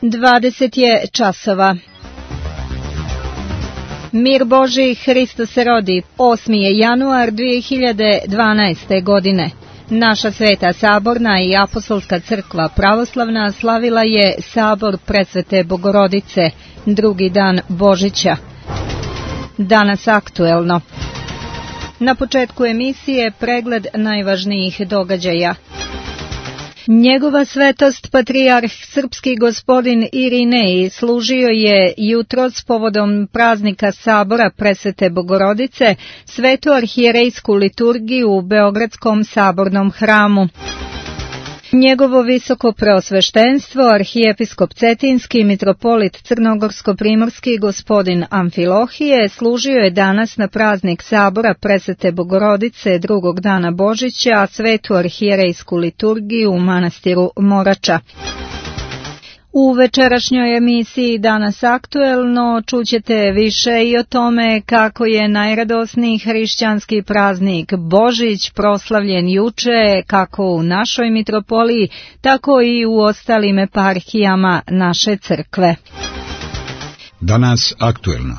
20 je časova. Mir Božji, Hristos se rodi. 8. je januar 2012. godine. Naša Sveta Saborna i Apostolska crkva pravoslavna slavila je Sabor Presvete Bogorodice, drugi dan Božića. Danas aktuelno. Na početku emisije pregled najvažnijih događaja. Njegova svetost patrijarh srpski gospodin Irinej služio je jutros povodom praznika Sabora Presvete Bogorodice svetu arhijerejsku liturgiju u Beogradskom sabornom hramu. Njegovo visoko preosveštenstvo, arhijepiskop Cetinski, mitropolit Crnogorsko-primorski gospodin Amfilohije služio je danas na praznik Sabora Presvete Bogorodice drugog dana Božića svetu arhijerejsku liturgiju u manastiru Morača. U večerašnjoj emisiji Danas aktuelno čućete više i o tome kako je najradosniji hrišćanski praznik Božić proslavljen juče kako u našoj mitropoliji, tako i u ostalim eparhijama naše crkve. Danas aktuelno.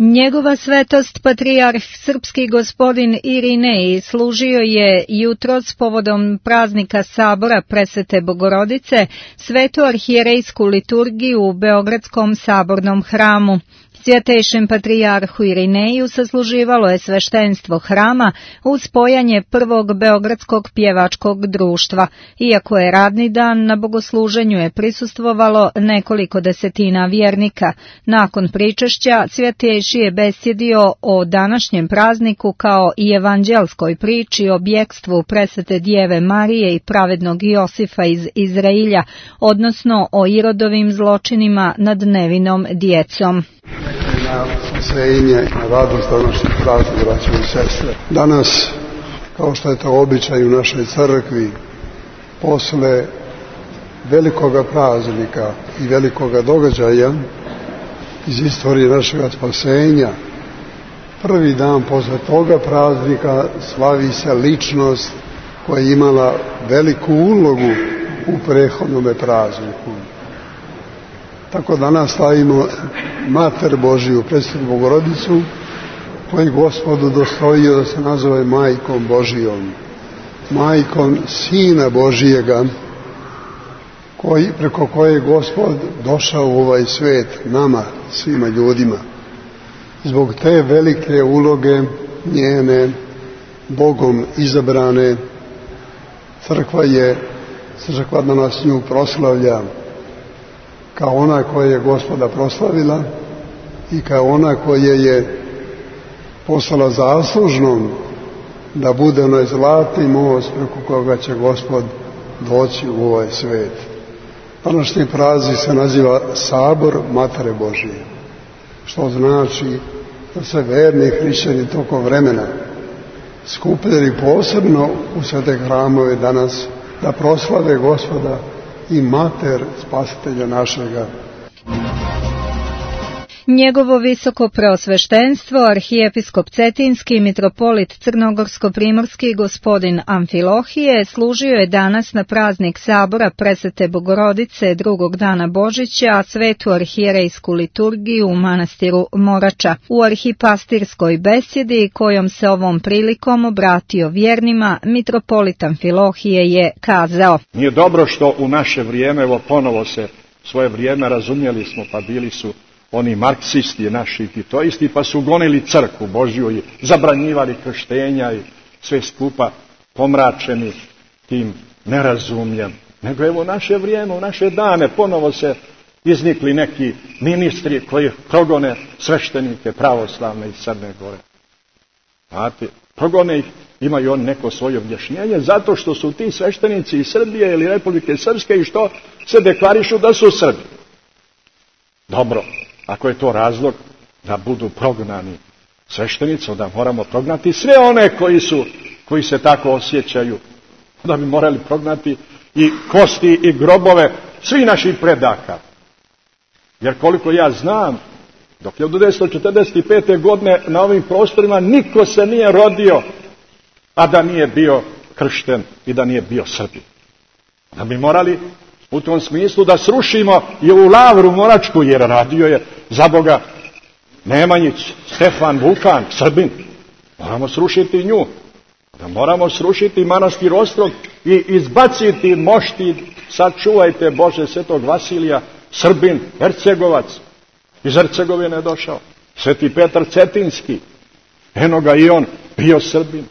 Njegova svetost patrijarh srpski gospodin Irinej služio je jutros povodom praznika Sabora Presvete Bogorodice svetu arhijerejsku liturgiju u Beogradskom sabornom hramu. Svjetejšem patrijarhu Irineju sasluživalo je sveštenstvo hrama uz spojanje prvog Beogradskog pjevačkog društva. Iako je radni dan, na bogosluženju je prisustvovalo nekoliko desetina vjernika. Nakon pričešća, svjetejši je besjedio o današnjem prazniku kao i evanđelskoj priči o bjekstvu Presvete Djeve Marije i pravednog Josifa iz Izrailja, odnosno o Irodovim zločinima nad nevinom djecom. Na spasenje, na radost današnjeg praznika, braćo i sestre. Danas, kao što je to običaj u našoj crkvi, posle velikoga praznika i velikoga događaja iz istorije našeg spasenja, prvi dan posle toga praznika slavi se ličnost koja je imala veliku ulogu u prethodnom prazniku. Tako danas slavimo Mater Božiju, Presvetu Bogorodicu, koju Gospodu dostojio da se nazove Majkom Božijom, Majkom Sina Božijega, preko koje je Gospod došao u ovaj svet, nama, svima ljudima. Zbog te velike uloge njene, Bogom izabrane, crkva danas nju proslavlja kao ona koja je Gospoda proslavila i kao ona koja je postala zaslužnom da bude onaj zlatni most preko koga će Gospod doći u ovaj svet. Današnji praznik se naziva Sabor Matere Božije, što znači da se verni hrišćani tokom vremena skupljali posebno u svete hramove danas da proslave Gospoda i Mater Spasitelja našega. Njegovo visoko preosveštenstvo, arhijepiskop Cetinski, mitropolit Crnogorsko-primorski gospodin Amfilohije služio je danas na praznik Sabora Presvete Bogorodice drugog dana Božića svetu arhijerejsku liturgiju u manastiru Morača. U arhipastirskoj besjedi kojom se ovom prilikom obratio vjernima, mitropolit Amfilohije je kazao: Nije dobro što u naše vrijeme, evo ponovo se svoje vrijeme razumjeli smo, pa bili su oni marksisti naši titoisti, pa su gonili crkvu Božju i zabranjivali krštenja i sve skupa pomračeni tim nerazumljem. Nego evo u naše vrijeme, u naše dane ponovo se iznikli neki ministri koji progone sveštenike pravoslavne iz Crne Gore. Znate, progone ih, imaju oni neko svoje objašnjenje, zato što su ti sveštenici iz Srbije ili Republike Srpske i što se deklarišu da su Srbi. Dobro. Ako je to razlog da budu prognani sveštenici, onda moramo prognati sve one koji se tako osjećaju. Da bi morali prognati i kosti i grobove svih naših predaka. Jer koliko ja znam, dok je od 1945. godine na ovim prostorima niko se nije rodio, a da nije bio kršten i da nije bio Srbin. Da bi morali U tom smislu da srušimo i ovu Lavru Moračku, jer radio je za Boga Nemanjić, Stefan Vukan, Srbin. Moramo srušiti nju. Da moramo srušiti manastir Ostrog i izbaciti mošti, sačuvajte Bože, svetog Vasilija, Srbin, Hercegovac. Iz Hercegovine je došao. Sveti Petar Cetinski, eno ga i on, bio Srbin.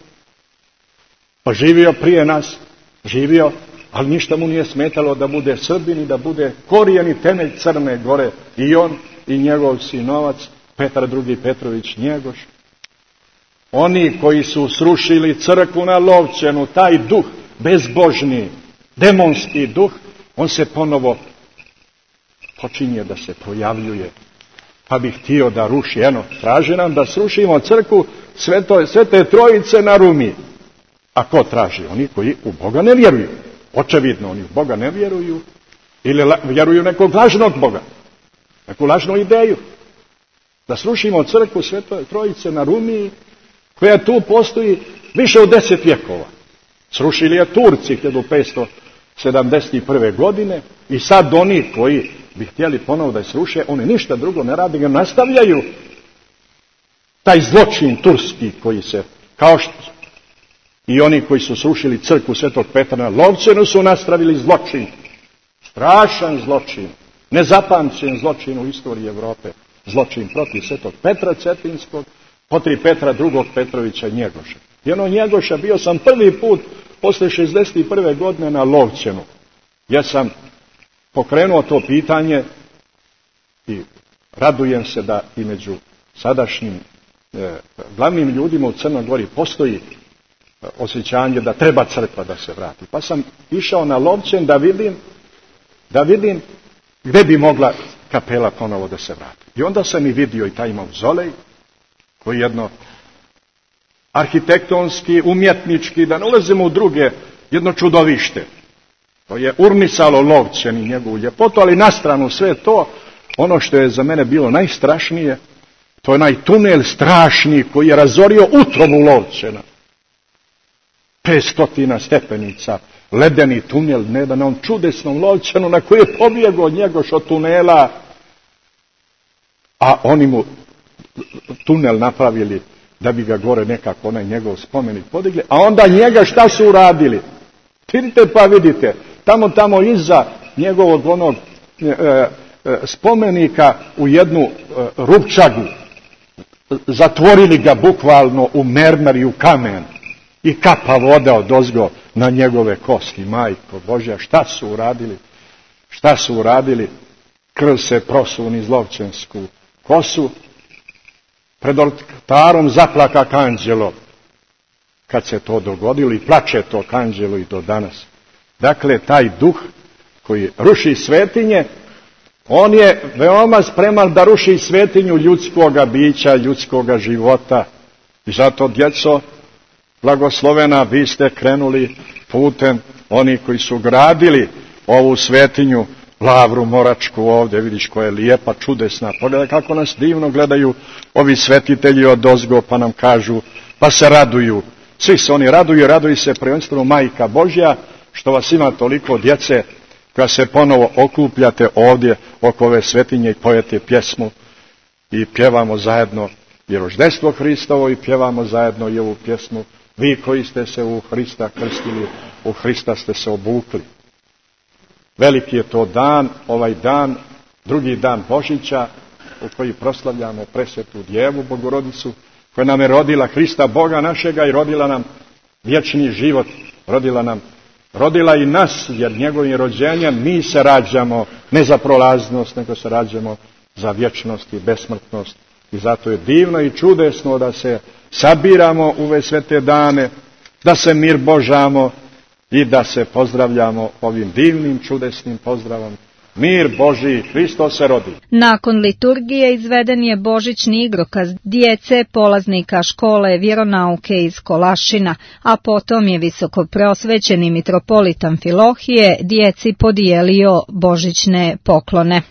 Pa živio prije nas, živio, ali ništa mu nije smetalo da bude Srbin i da bude korijen i temelj Crne Gore. I on i njegov sinovac, Petar II. Petrović Njegoš. Oni koji su srušili crkvu na Lovćenu, taj duh, bezbožni, demonski duh, on se ponovo počinje da se projavljuje. Pa bi htio da ruši. Eno, traži nam da srušimo crkvu Svete Trojice na Rumi. A ko traži? Oni koji u Boga ne vjeruju. Očevidno, oni u Boga ne vjeruju. Ili vjeruju nekog lažnog Boga. Neku lažnu ideju. Da srušimo crkvu Svete Trojice na Rumi, koja tu postoji više od 10 vjekova. Srušili je Turci 1571. godine i sad oni koji bi htjeli ponovo da je sruše, oni ništa drugo ne rade, nastavljaju taj zločin turski koji se, kao što i oni koji su srušili crkvu Svetog Petra na Lovćenu su nastavili zločin. Strašan zločin, nezapamćen zločin u istoriji Evrope. Zločin protiv Svetog Petra Cetinskog, protiv Petra II. Petrovića Njegoša. I ono Njegoša bio sam prvi put posle 61. godine na Lovćenu. Ja sam pokrenuo to pitanje i radujem se da i među sadašnjim glavnim ljudima u Crnoj Gori postoji osjećanje da treba crkva da se vrati. Pa sam išao na Lovćen da vidim gdje bi mogla kapela ponovo da se vrati. I onda sam i vidio i taj mauzolej, koji je jedno arhitektonski, umjetnički, da ne ulazimo u druge, jedno čudovište. To je urnisalo Lovćen i njegovu ljepotu, ali na stranu sve to, ono što je za mene bilo najstrašnije, to je onaj tunel strašni koji je razorio utrobu Lovćena. 500 stepenica, ledeni tunel, ne da na onom čudesnom Lovćenu na koji je pobjegao Njegoš od tunela, a oni mu tunel napravili da bi ga gore nekako onaj njegov spomenik podigli, a onda njega šta su uradili? Vidite pa vidite, tamo iza njegovog onog spomenika u jednu rupčagu, zatvorili ga bukvalno u mermer i u kamen i kapa voda odozgo na njegove kosti. Majko Božja, šta su uradili? Krv se prosu niz Lovćensku kosu. Pred oltarom zaplaka Kanđelo kad se to dogodilo i plače to Kanđelo i do danas. Dakle, taj duh koji ruši svetinje, on je veoma spreman da ruši svetinju ljudskoga bića, ljudskoga života. I zato, djeco, blagoslovena, vi ste krenuli putem oni koji su gradili ovu svetinju, Lavru Moračku ovdje, vidiš koja je lijepa, čudesna. Pogledaj kako nas divno gledaju ovi svetitelji odozgo, pa nam kažu, pa se raduju. Svi se oni raduju se prvenstveno Majka Božja, što vas ima toliko djece, koja se ponovo okupljate ovdje oko ove svetinje i pojete pjesmu i pjevamo zajedno i roždestvo Hristovo i pjevamo zajedno i ovu pjesmu. Vi koji ste se u Hrista krstili, u Hrista ste se obukli. Veliki je to dan, ovaj dan, drugi dan Božića, u koji proslavljamo presvetu Djevu Bogorodicu, koja nam je rodila Hrista Boga našega i rodila nam vječni život, rodila i nas, jer njegovim rođenjem mi se rađamo ne za prolaznost, nego se rađamo za vječnost i besmrtnost. I zato je divno i čudesno da se sabiramo u ove svete dane, da se mir božamo i da se pozdravljamo ovim divnim, čudesnim pozdravom. Mir Božji, Hristos se rodi. Nakon liturgije izveden je božićni igrokaz djece polaznika škole vjeronauke iz Kolašina, a potom je visokopreosvećeni mitropolit Amfilohije djeci podijelio božićne poklone.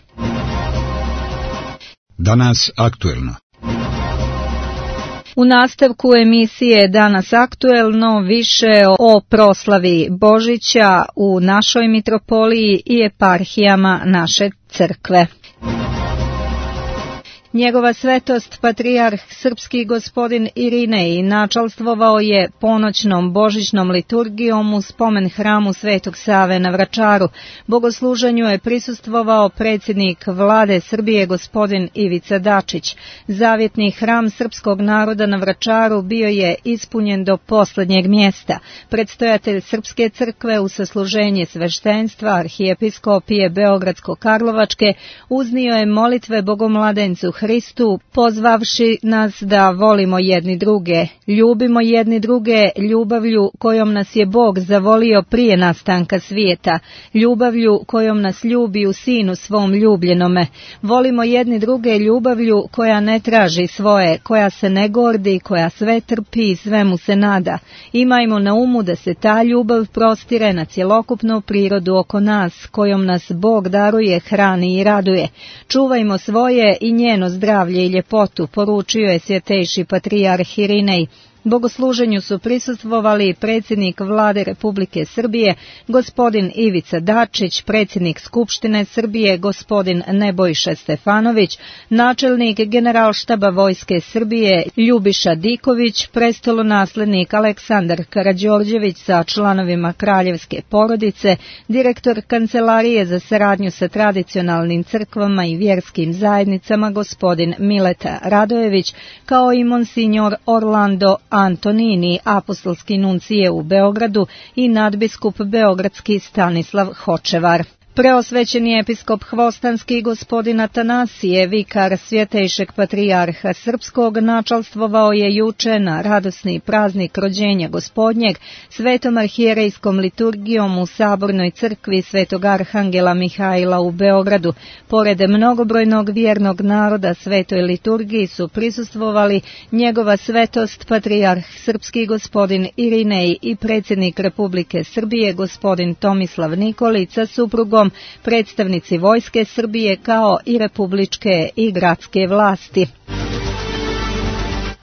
Danas aktuelno. U nastavku emisije Danas aktuelno više o proslavi Božića u našoj mitropoliji i eparhijama naše crkve. Njegova svetost patrijarh srpski gospodin Irinej načalstvovao je ponoćnom božićnom liturgijom u spomen hramu Svetog Save na Vračaru. Bogosluženju je prisustvovao predsjednik vlade Srbije gospodin Ivica Dačić. Zavjetni hram srpskog naroda na Vračaru bio je ispunjen do posljednjeg mjesta. Predstojatelj Srpske crkve u sasluženje sveštenstva arhijepiskopije Beogradsko-Karlovačke uznio je molitve Bogomladencu Hristu, pozvavši nas da volimo jedni druge, ljubimo jedni druge ljubavlju kojom nas je Bog zavolio prije nastanka svijeta, ljubavlju kojom nas ljubi u Sinu svom ljubljenome. Volimo jedni druge ljubavlju koja ne traži svoje, koja se ne gordi, koja sve trpi i svemu se nada. Imajmo na umu da se ta ljubav prostire na cjelokupnu prirodu oko nas, kojom nas Bog daruje, hrani i raduje. Čuvajmo svoje i njeno zdravlje i ljepotu, poručio je svjetejši patrijarh Irinej. Bogosluženju su prisustvovali predsjednik vlade Republike Srbije, gospodin Ivica Dačić, predsjednik Skupštine Srbije, gospodin Nebojša Stefanović, načelnik Generalštaba Vojske Srbije, Ljubiša Diković, prestolonaslednik Aleksandar Karađorđević sa članovima kraljevske porodice, direktor Kancelarije za saradnju sa tradicionalnim crkvama i vjerskim zajednicama, gospodin Mileta Radojević, kao i monsinjor Orlando Antonini, apostolski nuncije u Beogradu i nadbiskup beogradski Stanislav Hočevar. Preosvećeni episkop Hvostanski gospodin Atanasije, vikar svjetejšeg patrijarha srpskog, načalstvovao je juče na radosni praznik rođenja gospodnjeg svetom arhijerejskom liturgijom u Sabornoj crkvi Svetog Arhangela Mihajla u Beogradu. Pored mnogobrojnog vjernog naroda svetoj liturgiji su prisustvovali njegova svetost patrijarh srpski gospodin Irinej i predsjednik Republike Srbije gospodin Tomislav Nikolić sa suprugom, predstavnici Vojske Srbije kao i republičke i gradske vlasti.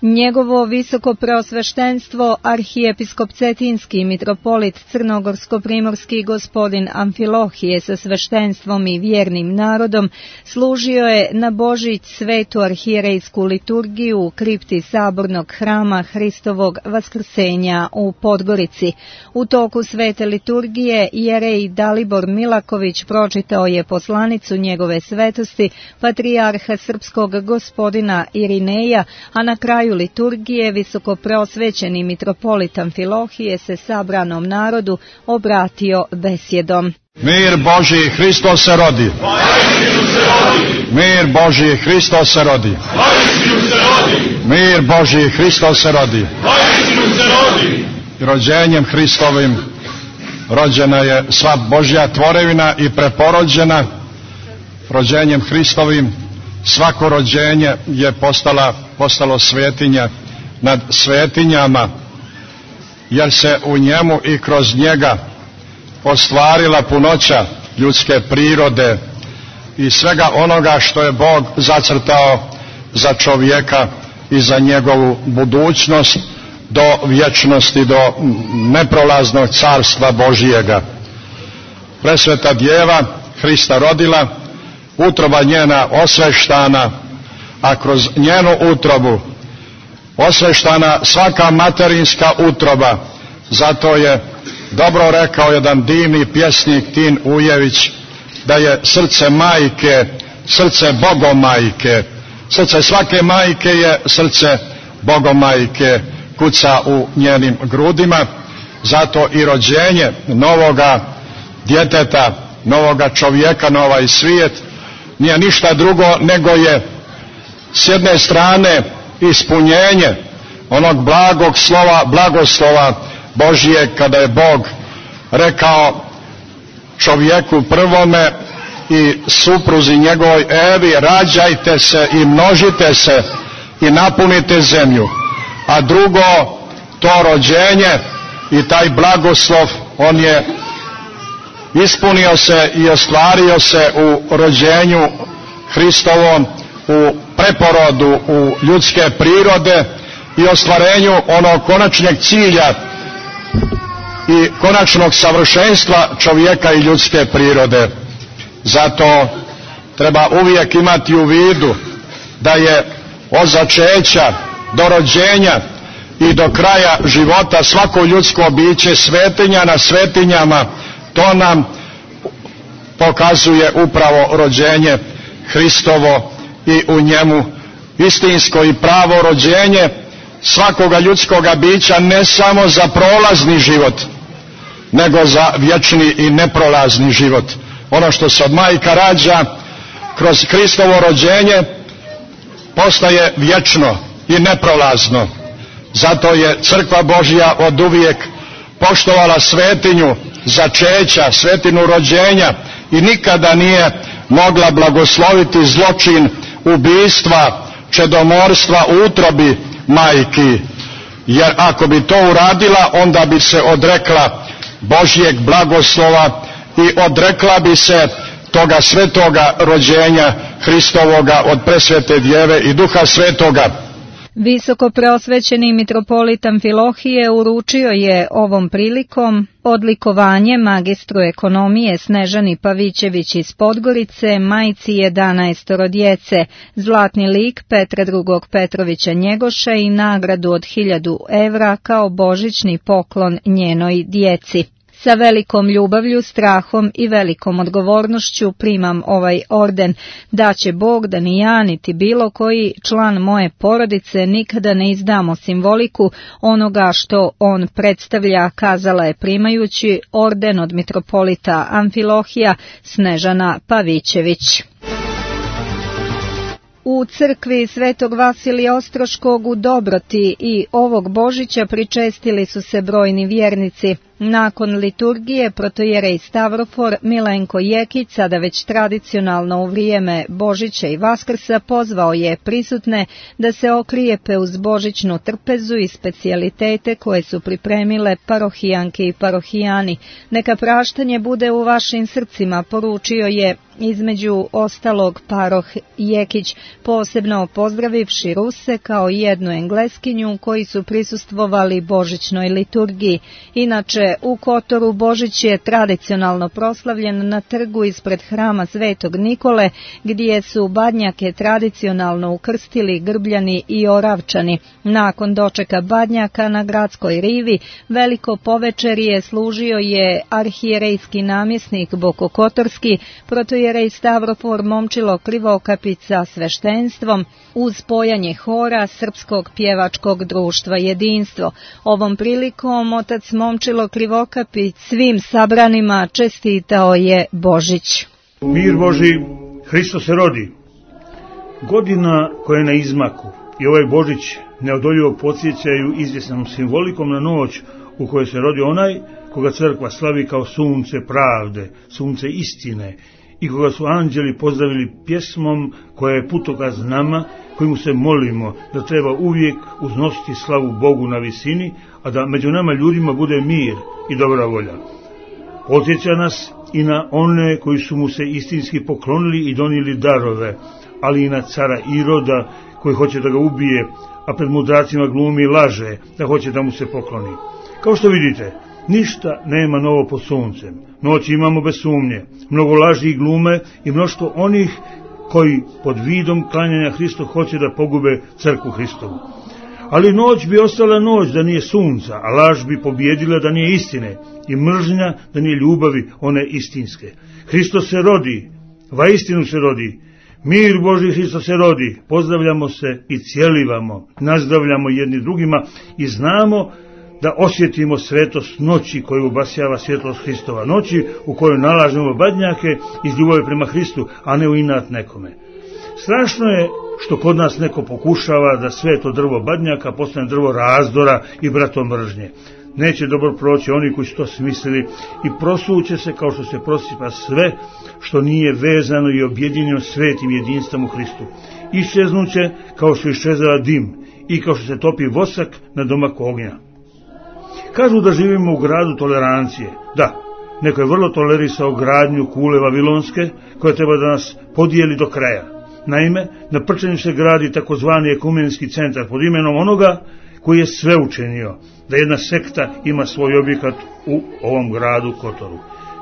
Njegovo visoko preosveštenstvo arhijepiskop Cetinski mitropolit Crnogorsko-primorski gospodin Amfilohije sa sveštenstvom i vjernim narodom služio je na Božić svetu arhijerejsku liturgiju u kripti Sabornog hrama Hristovog Vaskrsenja u Podgorici. U toku svete liturgije jerej Dalibor Milaković pročitao je poslanicu njegove svetosti patrijarha srpskog gospodina Irineja, a na kraju liturgije visoko preosvećeni mitropolit Amfilohije se sabranom narodu obratio besjedom. Mir Božji, Hristos se rodi. Mir Božji, Hristos se rodi. Mir Božji, Hristos se rodi. Rođenjem Hristovim rođena je sva Božja tvorevina i preporođena. Rođenjem Hristovim svako rođenje je postalo svetinja nad svetinjama, jer se u njemu i kroz njega ostvarila punoća ljudske prirode i svega onoga što je Bog zacrtao za čovjeka i za njegovu budućnost do vječnosti, do neprolaznog carstva Božijega. Presveta Djeva Hrista rodila, utroba njena osveštana, a kroz njenu utrobu osveštana svaka materinska utroba. Zato je dobro rekao jedan divni pjesnik Tin Ujević da je srce majke, srce Bogomajke. Srce svake majke je srce Bogomajke, kuca u njenim grudima. Zato i rođenje novoga djeteta, novoga čovjeka na ovaj svijet nije ništa drugo nego je s jedne strane ispunjenje onog blagog slova, blagoslova Božije, kada je Bog rekao čovjeku prvome i supruzi njegovoj Evi: rađajte se i množite se i napunite zemlju. A drugo, to rođenje i taj blagoslov, on je ispunio se i ostvario se u rođenju Hristovom, u preporodu u ljudske prirode, i ostvarenju onog konačnog cilja i konačnog savršenstva čovjeka i ljudske prirode. Zato treba uvijek imati u vidu da je od začeća do rođenja i do kraja života svako ljudsko biće svetinja na svetinjama. To nam pokazuje upravo rođenje Hristovo i u njemu istinsko i pravo rođenje svakoga ljudskoga bića, ne samo za prolazni život, nego za vječni i neprolazni život. Ono što se od majka rađa kroz Hristovo rođenje postaje vječno i neprolazno. Zato je Crkva Božja oduvijek poštovala svetinju začeća, svetinu rođenja i nikada nije mogla blagosloviti zločin ubistva, čedomorstva u utrobi majki. Jer ako bi to uradila, onda bi se odrekla Božjeg blagoslova i odrekla bi se toga svetoga rođenja Hristovoga od presvete Djeve i Duha Svetoga. Visoko preosvećeni mitropolit Amfilohije uručio je ovom prilikom odlikovanje magistru ekonomije Snežani Pavićević iz Podgorice, majci 11 djece, zlatni lik Petra II. Petrovića Njegoša i nagradu od 1000 evra kao božićni poklon njenoj djeci. Sa velikom ljubavlju, strahom i velikom odgovornošću primam ovaj orden, da će Bog da ni ja niti bilo koji član moje porodice nikada ne izdamo simboliku onoga što on predstavlja, kazala je primajući orden od mitropolita Amfilohija Snežana Pavićević. U crkvi Svetog Vasilija Ostroškog u Dobroti i ovog Božića pričestili su se brojni vjernici. Nakon liturgije protojerej Stavrofor Milenko Jekić, sada već tradicionalno u vrijeme Božića i Vaskrsa, pozvao je prisutne da se okrijepe uz božićnu trpezu i specijalitete koje su pripremile parohijanke i parohijani. Neka praštanje bude u vašim srcima, poručio je između ostalog paroh Jekić, posebno pozdravivši Ruse kao jednu Engleskinju koji su prisustvovali božićnoj liturgiji. Inače, u Kotoru Božić je tradicionalno proslavljen na trgu ispred hrama Svetog Nikole, gdje su badnjake tradicionalno ukrstili Grbljani i Oravčani. Nakon dočeka badnjaka na gradskoj rivi, veliko povečerje služio je arhijerejski namjesnik Bokokotorski, protojerej Stavrofor Momčilo Krivokapić sa sveštenstvom, uz spojanje hora Srpskog pjevačkog društva Jedinstvo. Ovom prilikom otac Momčilo Krivokapić svim sabranima čestitao je Božić. Mir Boži, Hristos se rodi. Godina koja je na izmaku i ovaj Božić neodoljivo podsjećaju izvjesnom simbolikom na noć u kojoj se rodi onaj koga crkva slavi kao sunce pravde, sunce istine i koga su anđeli pozdravili pjesmom koja je putokaz nama, kojemu se molimo da treba uvijek uznositi slavu Bogu na visini, a da među nama ljudima bude mir i dobra volja. Podsjeća nas i na one koji su mu se istinski poklonili i donijeli darove, ali i na cara Iroda koji hoće da ga ubije, a pred mudracima glumi i laže da hoće da mu se pokloni. Kao što vidite, ništa nema novo pod suncem. Noć imamo bez sumnje, mnogo laži i glume i mnoštvo onih koji pod vidom klanjanja Hristu hoće da pogube crkvu Hristovu. Ali noć bi ostala noć da nije sunca, a laž bi pobjedila da nije istine i mržnja da nije ljubavi one istinske. Hristos se rodi, vaistinu se rodi, mir Božji Hristos se rodi, pozdravljamo se i cijelivamo, nazdravljamo jedni drugima i znamo da osjetimo svetost noći koju obasjava svjetlost Hristova, noći u kojoj nalažemo badnjake iz ljubavi prema Hristu, a ne u inat nekome. Strašno je što kod nas neko pokušava da sve to drvo badnjaka postane drvo razdora i bratomržnje. Neće dobro proći oni koji su to smislili i prosuće se kao što se prosipa sve što nije vezano i objedinjeno svetim jedinstvom u Hristu. Iščeznuće kao što iščezava dim i kao što se topi vosak na domak ognja. Kažu da živimo u gradu tolerancije. Da, neko je vrlo tolerisao gradnju kule Vavilonske koja treba da nas podijeli do kraja. Naime, na Prčanju se gradi takozvani ekumenski centar pod imenom onoga koji je sve učinio da jedna sekta ima svoj objekat u ovom gradu Kotoru.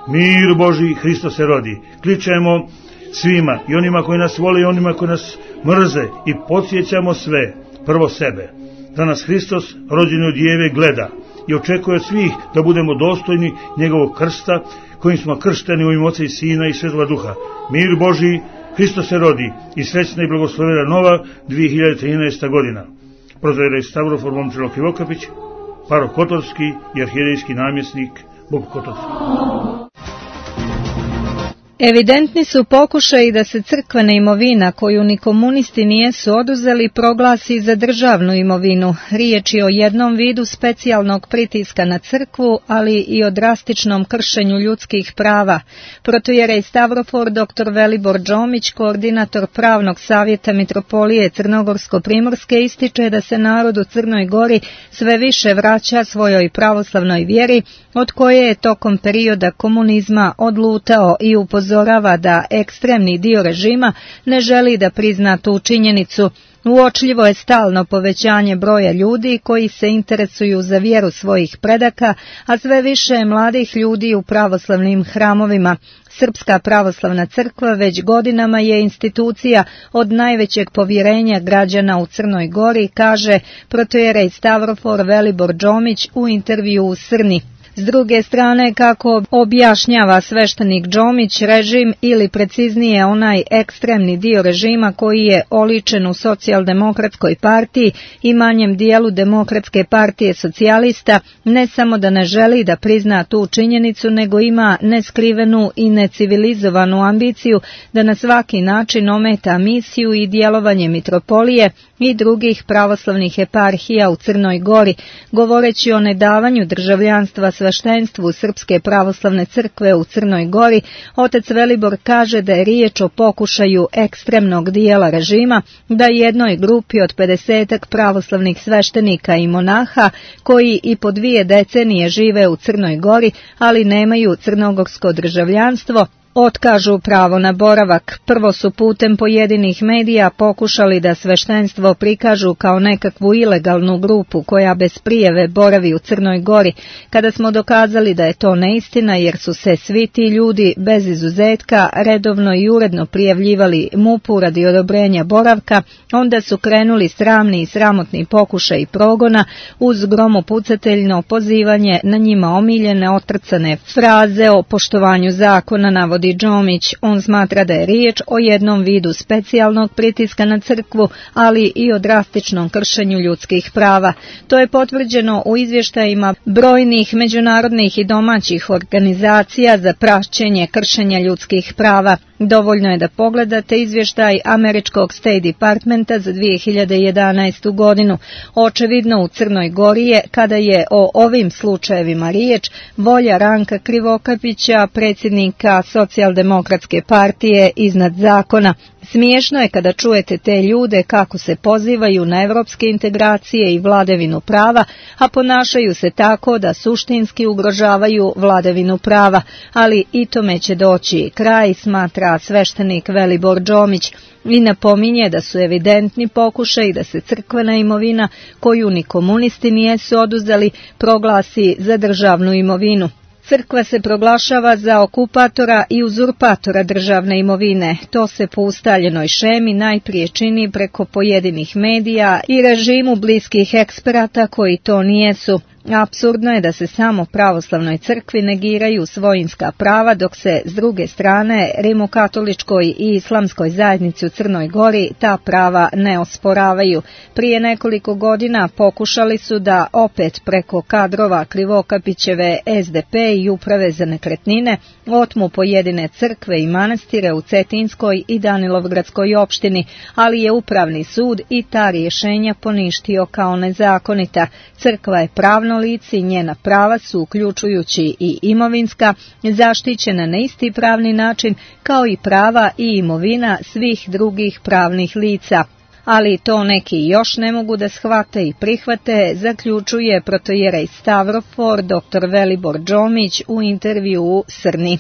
Mir Božji, Hristos se rodi. Kličemo svima, i onima koji nas vole i onima koji nas mrze, i podsjećamo sve, prvo sebe, da nas Hristos, rođeni od Djeve, gleda i očekuje od svih da budemo dostojni njegovog krsta, kojim smo kršteni u ime Oca i Sina i Svetoga Duha. Mir Božji, Hristos se rodi, i srećna i blagoslovena nova 2013. godina. Protoijerej Stavrofor Momčilo Krivokapić, parok Kotorski i arhijerejski namjesnik Bog Kotorski. Evidentni su pokušaji da se crkvena imovina, koju ni komunisti nijesu oduzeli, proglasi za državnu imovinu. Riječ je o jednom vidu specijalnog pritiska na crkvu, ali i o drastičnom kršenju ljudskih prava. Protoijerej Stavrofor dr. Velibor Đomić, koordinator pravnog savjeta Mitropolije Crnogorsko-Primorske, ističe da se narod u Crnoj Gori sve više vraća svojoj pravoslavnoj vjeri, od koje je tokom perioda komunizma odlutao, i upozorava da ekstremni dio režima ne želi da prizna tu činjenicu. Uočljivo je stalno povećanje broja ljudi koji se interesuju za vjeru svojih predaka, a sve više je mladih ljudi u pravoslavnim hramovima. Srpska pravoslavna crkva već godinama je institucija od najvećeg povjerenja građana u Crnoj Gori, kaže protoijerej Stavrofor Velibor Đomić u intervju u Srni. S druge strane, kako objašnjava sveštenik Đomić, režim, ili preciznije onaj ekstremni dio režima koji je oličen u Socijaldemokratskoj partiji i manjem dijelu Demokratske partije socijalista, ne samo da ne želi da prizna tu činjenicu, nego ima neskrivenu i necivilizovanu ambiciju da na svaki način ometa misiju i djelovanje Mitropolije i drugih pravoslavnih eparhija u Crnoj Gori, govoreći o nedavanju državljanstva sveštenstvu Srpske pravoslavne crkve u Crnoj Gori. Otac Velibor kaže da je riječ o pokušaju ekstremnog dijela režima da jednoj grupi od 50 pravoslavnih sveštenika i monaha, koji i po 2 decenije žive u Crnoj Gori, ali nemaju crnogorsko državljanstvo, otkažu pravo na boravak. Prvo su putem pojedinih medija pokušali da sveštenstvo prikažu kao nekakvu ilegalnu grupu koja bez prijave boravi u Crnoj Gori. Kada smo dokazali da je to neistina, jer su se svi ti ljudi bez izuzetka redovno i uredno prijavljivali MUP-u radi odobrenja boravka, onda su krenuli sramni i sramotni pokušaj progona uz gromopucateljno pozivanje na njima omiljene otrcane fraze o poštovanju zakona, navodi Đomić. On smatra da je riječ o jednom vidu specijalnog pritiska na crkvu, ali i o drastičnom kršenju ljudskih prava. To je potvrđeno u izvještajima brojnih međunarodnih i domaćih organizacija za praćenje kršenja ljudskih prava. Dovoljno je da pogledate izvještaj američkog State Departmenta za 2011. godinu. Očevidno u Crnoj Gori je, kada je o ovim slučajevima riječ, volja Ranka Krivokapića, predsjednika Socijaldemokratske partije, iznad zakona. Smiješno je kada čujete te ljude kako se pozivaju na evropske integracije i vladavinu prava, a ponašaju se tako da suštinski ugrožavaju vladavinu prava, ali i tome će doći kraj, smatra sveštenik Velibor Đomić, i napominje da su evidentni pokušaji da se crkvena imovina, koju ni komunisti nijesu oduzeli, proglasi za državnu imovinu. Crkva se proglašava za okupatora i uzurpatora državne imovine. To se po ustaljenoj šemi najprije čini preko pojedinih medija i režimu bliskih eksperata koji to nijesu. Apsurdno je da se samo pravoslavnoj crkvi negiraju svojinska prava, dok se s druge strane rimokatoličkoj i islamskoj zajednici u Crnoj Gori ta prava ne osporavaju. Prije nekoliko godina pokušali su da opet preko kadrova Krivokapićeve SDP i uprave za nekretnine otmu pojedine crkve i manastire u Cetinskoj i Danilovgradskoj opštini, ali je Upravni sud i ta rješenja poništio kao nezakonita. Crkva je pravno lice i njena prava su, uključujući i imovinska, zaštićena na isti pravni način kao i prava i imovina svih drugih pravnih lica. Ali to neki još ne mogu da shvate i prihvate, zaključuje protoijerej Stavrofor dr. Velibor Đomić u intervju u Srni.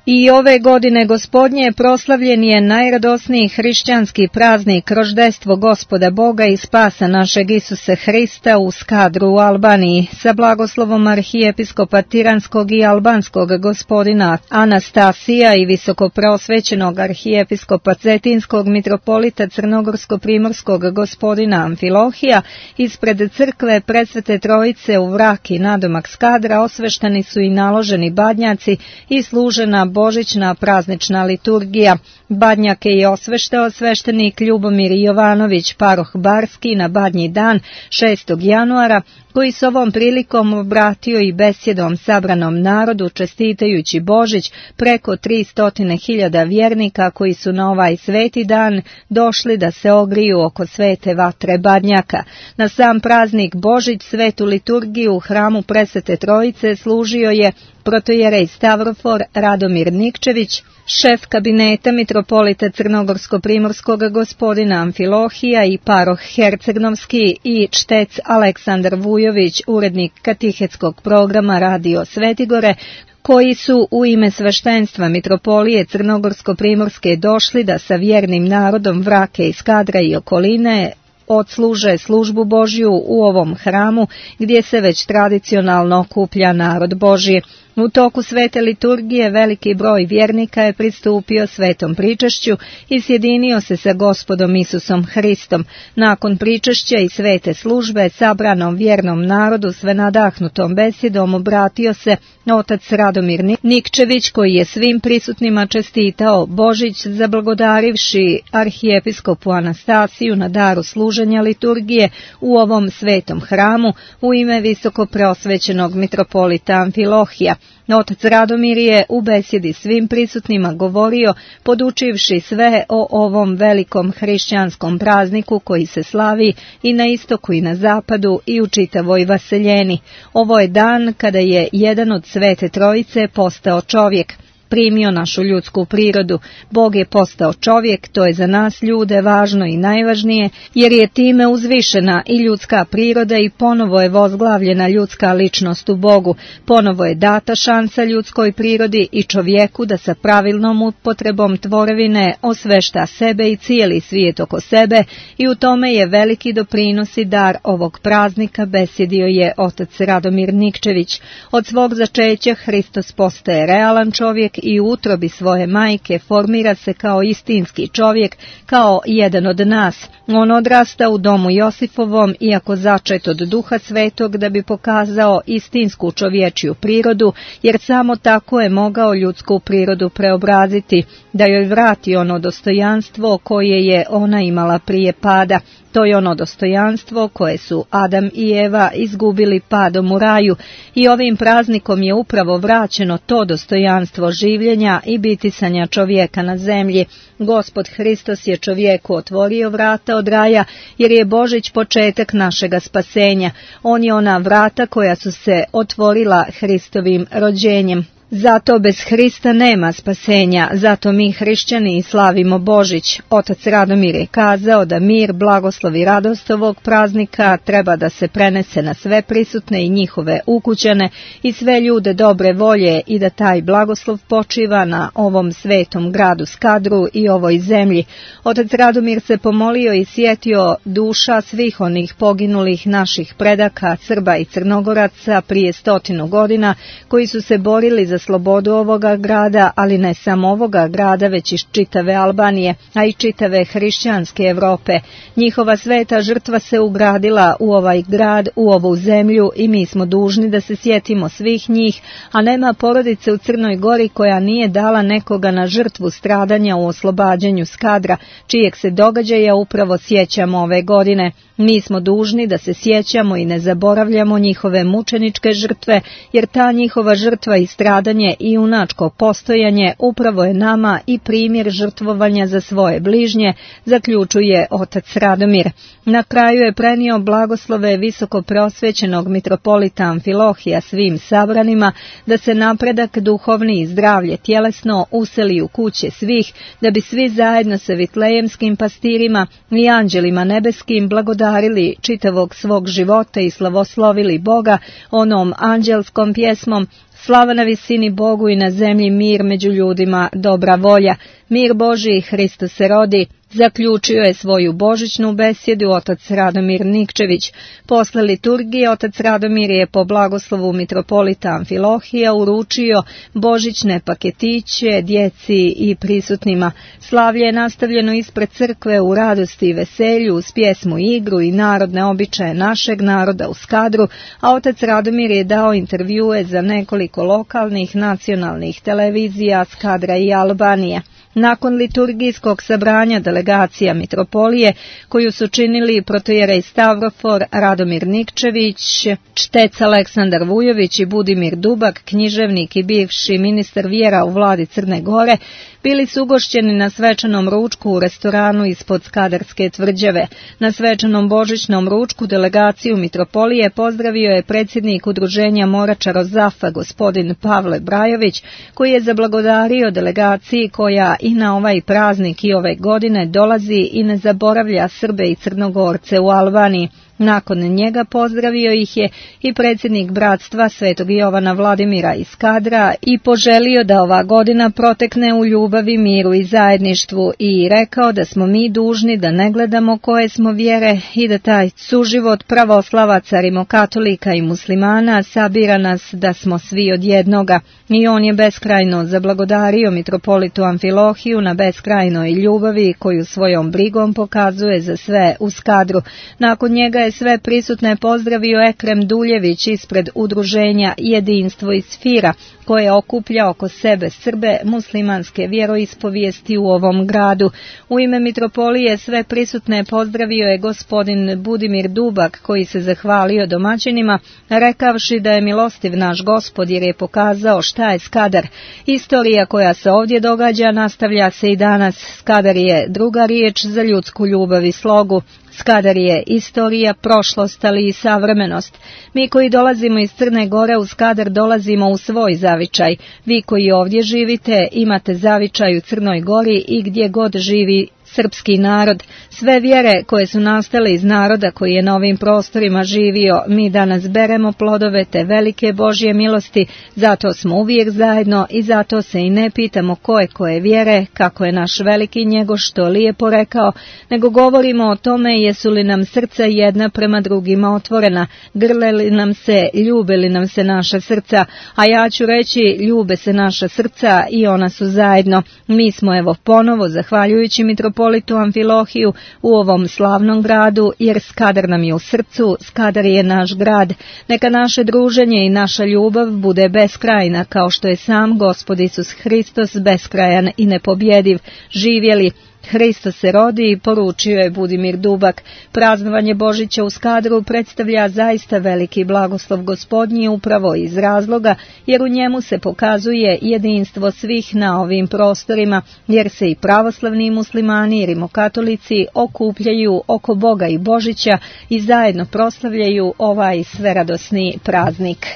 I ove godine Gospodnje proslavljen je najradosniji hrišćanski praznik roždestvo Gospoda Boga i spasa našeg Isusa Hrista u Skadru u Albaniji sa blagoslovom arhijepiskopa Tiranskog i Albanskog gospodina Anastasija i visokopreosvećenog arhijepiskopa Cetinskog mitropolita Crnogorsko-primorskog gospodina Amfilohija. Ispred crkve Presvete Trojice u Vraki nadomak Skadra osvešteni su i naloženi badnjaci i služena božićna praznična liturgija. Badnjake je osveštao sveštenik Ljubomir Jovanović, paroh Barski, na badnji dan 6. januara, koji s ovom prilikom obratio i besjedom sabranom narodu, čestitajući Božić preko 300.000 vjernika koji su na ovaj sveti dan došli da se ogriju oko svete vatre Badnjaka. Na sam praznik Božić svetu liturgiju u hramu Presvete Trojice služio je protojerej Stavrofor Radomir Nikčević, šef kabineta mitropolita Crnogorsko-primorskog gospodina Amfilohija i paroh Hercegnovski i čtec Aleksandar Vujović, urednik katehetskog programa Radio Svetigore, koji su u ime sveštenstva mitropolije Crnogorsko-primorske došli da sa vjernim narodom Vrake i Skadra i okoline odsluže službu Božju u ovom hramu gdje se već tradicionalno okuplja narod Božji. U toku svete liturgije veliki broj vjernika je pristupio svetom pričašću i sjedinio se sa Gospodom Isusom Hristom. Nakon pričašća i svete službe sabranom vjernom narodu sve nadahnutom besjedom obratio se otac Radomir Nikčević, koji je svim prisutnima čestitao Božić, zablagodarivši arhijepiskopu Anastasiju na daru služenja liturgije u ovom svetom hramu u ime visoko preosvećenog mitropolita Amfilohija. Otac Radomir je u besjedi svim prisutnima govorio, podučivši sve o ovom velikom hrišćanskom prazniku koji se slavi i na istoku i na zapadu i u čitavoj vaseljeni. Ovo je dan kada je jedan od Svete Trojice postao čovjek, primio našu ljudsku prirodu. Bog je postao čovjek, to je za nas ljude važno i najvažnije, jer je time uzvišena i ljudska priroda i ponovo je vozglavljena ljudska ličnost u Bogu. Ponovo je data šansa ljudskoj prirodi i čovjeku da sa pravilnom upotrebom tvorevine osvešta sebe i cijeli svijet oko sebe i u tome je veliki doprinos i dar ovog praznika, besjedio je otac Radomir Nikčević. Od svog začeća Hristos postaje realan čovjek i u utrobi svoje majke formira se kao istinski čovjek, kao jedan od nas. On odrasta u domu Josifovom, iako začet od Duha Svetog, da bi pokazao istinsku čovječju prirodu, jer samo tako je mogao ljudsku prirodu preobraziti, da joj vrati ono dostojanstvo koje je ona imala prije pada. To je ono dostojanstvo koje su Adam i Eva izgubili padom u raju i ovim praznikom je upravo vraćeno to dostojanstvo življenja i bitisanja čovjeka na zemlji. Gospod Hristos je čovjeku otvorio vrata od raja jer je Božić početak našega spasenja. On je ona vrata koja su se otvorila Hristovim rođenjem. Zato bez Hrista nema spasenja, zato mi hrišćani slavimo Božić. Otac Radomir je kazao da mir, blagoslov i radost ovog praznika treba da se prenese na sve prisutne i njihove ukućane i sve ljude dobre volje i da taj blagoslov počiva na ovom svetom gradu Skadru i ovoj zemlji. Otac Radomir se pomolio i sjetio duša svih onih poginulih naših predaka, Srba i Crnogoraca prije 100 godina, koji su se borili za slobodu ovoga grada, ali ne samo ovoga grada, već i čitave Albanije, a i čitave hrišćanske Evrope. Njihova sveta žrtva se ugradila u ovaj grad, u ovu zemlju i mi smo dužni da se sjetimo svih njih, a nema porodice u Crnoj Gori koja nije dala nekoga na žrtvu stradanja u oslobađanju Skadra, čijeg se događaja upravo sjećamo ove godine. Mi smo dužni da se sjećamo i ne zaboravljamo njihove mučeničke žrtve, jer ta njihova žrtva i stradanje i junačko postojanje upravo je nama i primjer žrtvovanja za svoje bližnje, zaključuje otac Radomir. Na kraju je prenio blagoslove visoko preosvećenog mitropolita Amfilohija svim sabranima, da se napredak duhovni i zdravlje tjelesno useli u kuće svih, da bi svi zajedno sa vitlejemskim pastirima i anđelima nebeskim blagodarili čitavog svog života i slavoslovili Boga onom anđelskom pjesmom: Slava na visini Bogu i na zemlji mir među ljudima, dobra volja. Mir Božiji, Hristos se rodi. Zaključio je svoju božićnu besjedu otac Radomir Nikčević. Posle liturgije otac Radomir je po blagoslovu mitropolita Amfilohija uručio božićne paketiće djeci i prisutnima. Slavlje je nastavljeno ispred crkve u radosti i veselju uz pjesmu i igru i narodne običaje našeg naroda u Skadru, a otac Radomir je dao intervjue za nekoliko lokalnih nacionalnih televizija Skadra i Albanije. Nakon liturgijskog sabranja delegacija mitropolije, koju su činili protojerej Stavrofor Radomir Nikčević, čtec Aleksandar Vujović i Budimir Dubak, književnik i bivši ministar vjera u vladi Crne Gore, bili su ugošćeni na svečanom ručku u restoranu ispod Skadarske tvrđave. Na svečanom božićnom ručku delegaciju mitropolije pozdravio je predsjednik udruženja Morača Rozafa, gospodin Pavle Brajović, koji je zablagodario delegaciji koja i na ovaj praznik i ove godine dolazi i ne zaboravlja Srbe i Crnogorce u Albaniji. Nakon njega pozdravio ih je i predsjednik bratstva Svetog Jovana Vladimira iz Skadra i poželio da ova godina protekne u ljubavi, miru i zajedništvu i rekao da smo mi dužni da ne gledamo koje smo vjere i da taj suživot pravoslavaca, rimokatolika i muslimana sabira nas da smo svi od jednoga. I on je beskrajno zablagodario mitropolitu Amfilohiju na beskrajnoj ljubavi koju svojom brigom pokazuje za sve u Skadru. Nakon njega je sve prisutne pozdravio Ekrem Duljević ispred udruženja Jedinstvo iz Fira, koje okuplja oko sebe Srbe muslimanske vjeroispovijesti u ovom gradu. U ime mitropolije sve prisutne pozdravio je gospodin Budimir Dubak, koji se zahvalio domaćinima, rekavši da je milostiv naš Gospod jer je pokazao šta je Skadar. Istorija koja se ovdje događa nastavlja se i danas. Skadar je druga riječ za ljudsku ljubav i slogu. Skadar je istorija, prošlost, ali i savremenost. Mi koji dolazimo iz Crne Gore u Skadar dolazimo u svoj zavičaj. Vi koji ovdje živite imate zavičaj u Crnoj Gori i gdje god živi srpski narod. Sve vjere koje su nastale iz naroda koji je na ovim prostorima živio, mi danas beremo plodove te velike Božje milosti, zato smo uvijek zajedno i zato se i ne pitamo koje vjere, kako je naš veliki Njegoš to lijepo rekao, nego govorimo o tome jesu li nam srca jedna prema drugima otvorena, grle li nam se, ljube li nam se naša srca, a ja ću reći ljube se naša srca i ona su zajedno. Mi smo evo ponovo, zahvaljujući mitropolitu Amfilohiju, u ovom slavnom gradu, jer Skadar nam je u srcu, Skadar je naš grad. Neka naše druženje i naša ljubav bude beskrajna, kao što je sam Gospod Isus Hristos beskrajan i nepobjediv. Živjeli! Hristos se rodi, poručio je Budimir Dubak. Praznovanje Božića u Skadru predstavlja zaista veliki blagoslov Gospodnji upravo iz razloga, jer u njemu se pokazuje jedinstvo svih na ovim prostorima, jer se i pravoslavni i muslimani i rimokatolici okupljaju oko Boga i Božića i zajedno proslavljaju ovaj sveradosni praznik.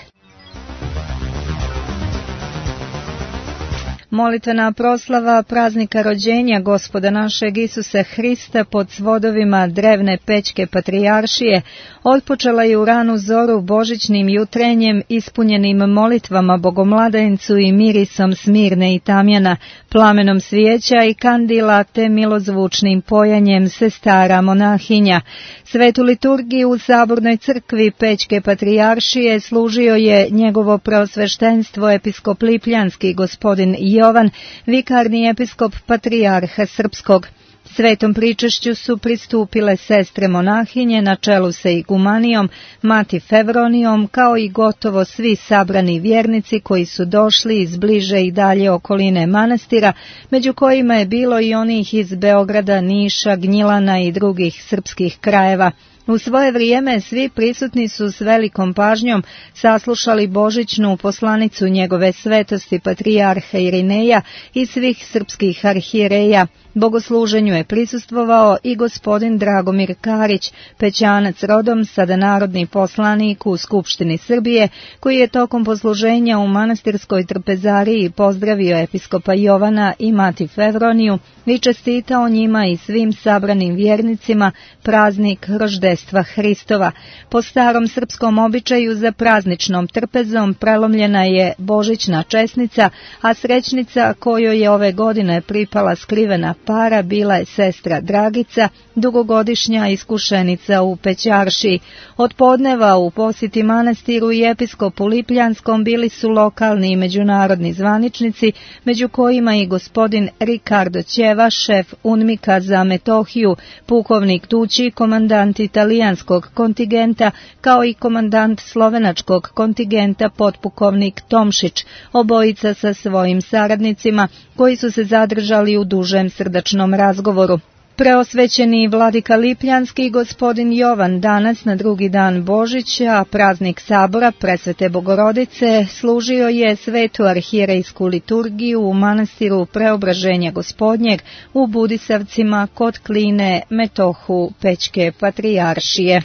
Molitvena proslava praznika rođenja Gospoda našeg Isusa Hrista pod svodovima drevne Pećke patrijaršije otpočela je u ranu zoru božićnim jutrenjem ispunjenim molitvama Bogomladencu i mirisom smirne i tamjana, plamenom svijeća i kandila te milozvučnim pojanjem sestara monahinja. Svetu liturgiju u Sabornoj crkvi Pećke patrijaršije služio je njegovo preosveštenstvo episkop Lipljanski gospodin Jovan, vikarni episkop patrijarha Srpskog. Svetom pričešću su pristupile sestre monahinje na čelu sa igumanijom, mati Fevronijom, kao i gotovo svi sabrani vjernici koji su došli iz bliže i dalje okoline manastira, među kojima je bilo i onih iz Beograda, Niša, Gnjilana i drugih srpskih krajeva. U svoje vrijeme svi prisutni su s velikom pažnjom saslušali božićnu poslanicu njegove svetosti patrijarha Irineja i svih srpskih arhijereja. Bogosluženju je prisustvovao i gospodin Dragomir Karić, Pećanac rodom, sada narodni poslanik u Skupštini Srbije, koji je tokom posluženja u manastirskoj trpezariji pozdravio episkopa Jovana i mati Fevroniju i čestitao njima i svim sabranim vjernicima praznik roždestva rođenstva Hristova. Po starom srpskom običaju za prazničnom trpezom prelomljena je božićna česnica, a srećnica kojoj je ove godine pripala skrivena para bila je sestra Dragica, dugogodišnja iskušenica u Pećaršiji. Od podneva u posjeti manastiru i episkopu Lipljanskom bili su lokalni i međunarodni zvaničnici, među kojima i gospodin Ricardo Ćeva, šef UNMIK-a za Metohiju, pukovnik Tući, komandant italijanskog kontingenta, kao i komandant slovenačkog kontingenta potpukovnik Tomšić, obojica sa svojim saradnicima, koji su se zadržali u dužem srdačnom razgovoru. Preosvećeni vladika Lipljanski gospodin Jovan danas na drugi dan Božića, praznik sabora Presvete Bogorodice, služio je svetu arhijerejsku liturgiju u manastiru Preobraženja Gospodnjeg u Budisavcima kod Kline, Metohu, Pećke patrijaršije.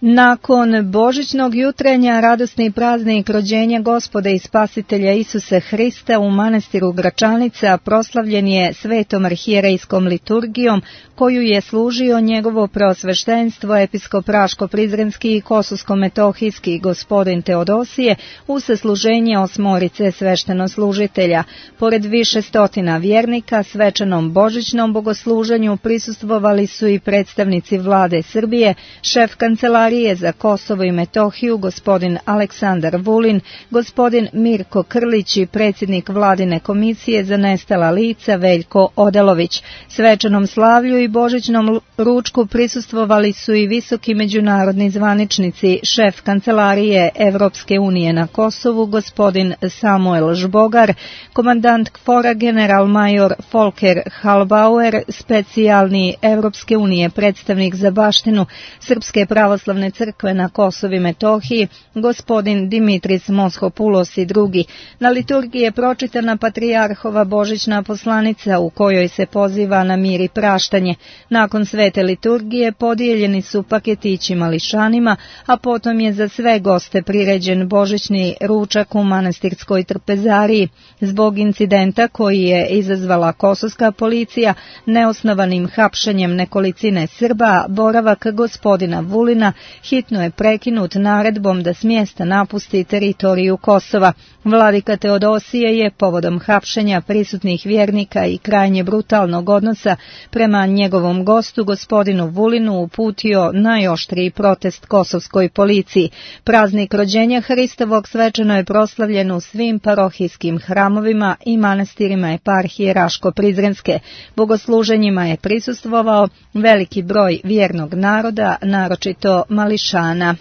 Nakon božićnog jutrenja radosni praznik rođenja Gospoda i Spasitelja Isusa Hrista u manastiru Gračanica proslavljen je svetom arhijerejskom liturgijom koju je služio njegovo preosveštenstvo episkop Raško-Prizrenski i Kososko-Metohijski gospodin Teodosije u sasluženje osmorice sveštenoslužitelja. Pored više stotina vjernika svečanom božićnom bogosluženju prisustvovali su i predstavnici vlade Srbije, šef kancelarije za Kosovo i Metohiju gospodin Aleksandar Vulin, gospodin Mirko Krlić i predsjednik vladine komisije za nestala lica Veljko Odelović. Svečanom slavlju i božićnom ručku prisustvovali su i visoki međunarodni zvaničnici, šef kancelarije Evropske unije na Kosovu gospodin Samuel Žbogar, komandant KFOR-a general-major Volker Halbauer, specijalni Evropske unije predstavnik za baštinu Srpske pravoslavne crkve na Kosovu i Metohiji, gospodin Dimitris Moshopulos i drugi. Na liturgiji je pročitana patrijarhova božićna poslanica u kojoj se poziva na mir i praštanje. Nakon svete liturgije podijeljeni su paketići mališanima, a potom je za sve goste priređen božićni ručak u manastirskoj trpezariji. Zbog incidenta koji je izazvala kosovska policija neosnovanim hapšenjem nekolicine Srba, boravak gospodina Vulina hitno je prekinut naredbom da s mjesta napusti teritoriju Kosova. Vladika Teodosije je povodom hapšenja prisutnih vjernika i krajnje brutalnog odnosa prema njegovom gostu gospodinu Vulinu uputio najoštriji protest kosovskoj policiji. Praznik rođenja Hristovog svečano je proslavljen u svim parohijskim hramovima i manastirima eparhije Raško-Prizrenske. Bogosluženjima je prisustvovao veliki broj vjernog naroda, naročito mališana.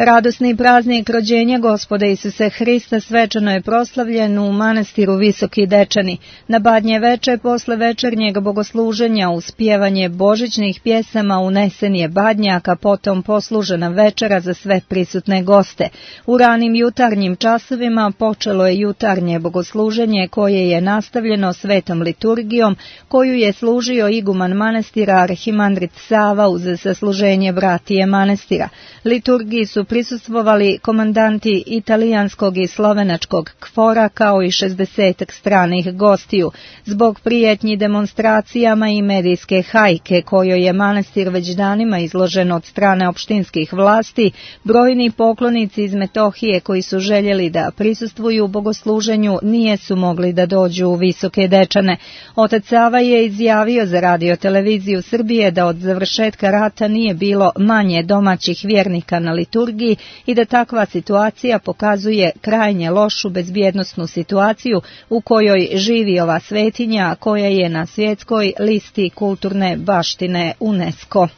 Radosni praznik rođenja Gospoda Isusa Hrista svečano je proslavljen u manastiru Visoki Dečani. Na Badnje veče posle večernjeg bogosluženja uz pjevanje božićnih pjesama unesen je badnjak, a potom poslužena večera za sve prisutne goste. U ranim jutarnjim časovima počelo je jutarnje bogosluženje koje je nastavljeno svetom liturgijom koju je služio iguman manastira arhimandrit Sava uz sasluženje bratije manastira. Liturgiji su prisustvovali komandanti italijanskog i slovenačkog KFOR-a kao i 60 stranih gostiju. Zbog prijetnji demonstracijama i medijske hajke kojoj je manastir već danima izložen od strane opštinskih vlasti, brojni poklonici iz Metohije koji su željeli da prisustvuju bogosluženju nije su mogli da dođu u Visoke Dečane. Otac Sava je izjavio za radioteleviziju Srbije da od završetka rata nije bilo manje domaćih vjernika na liturgiji i da takva situacija pokazuje krajnje lošu bezbjednosnu situaciju u kojoj živi ova svetinja koja je na svjetskoj listi kulturne baštine UNESCO.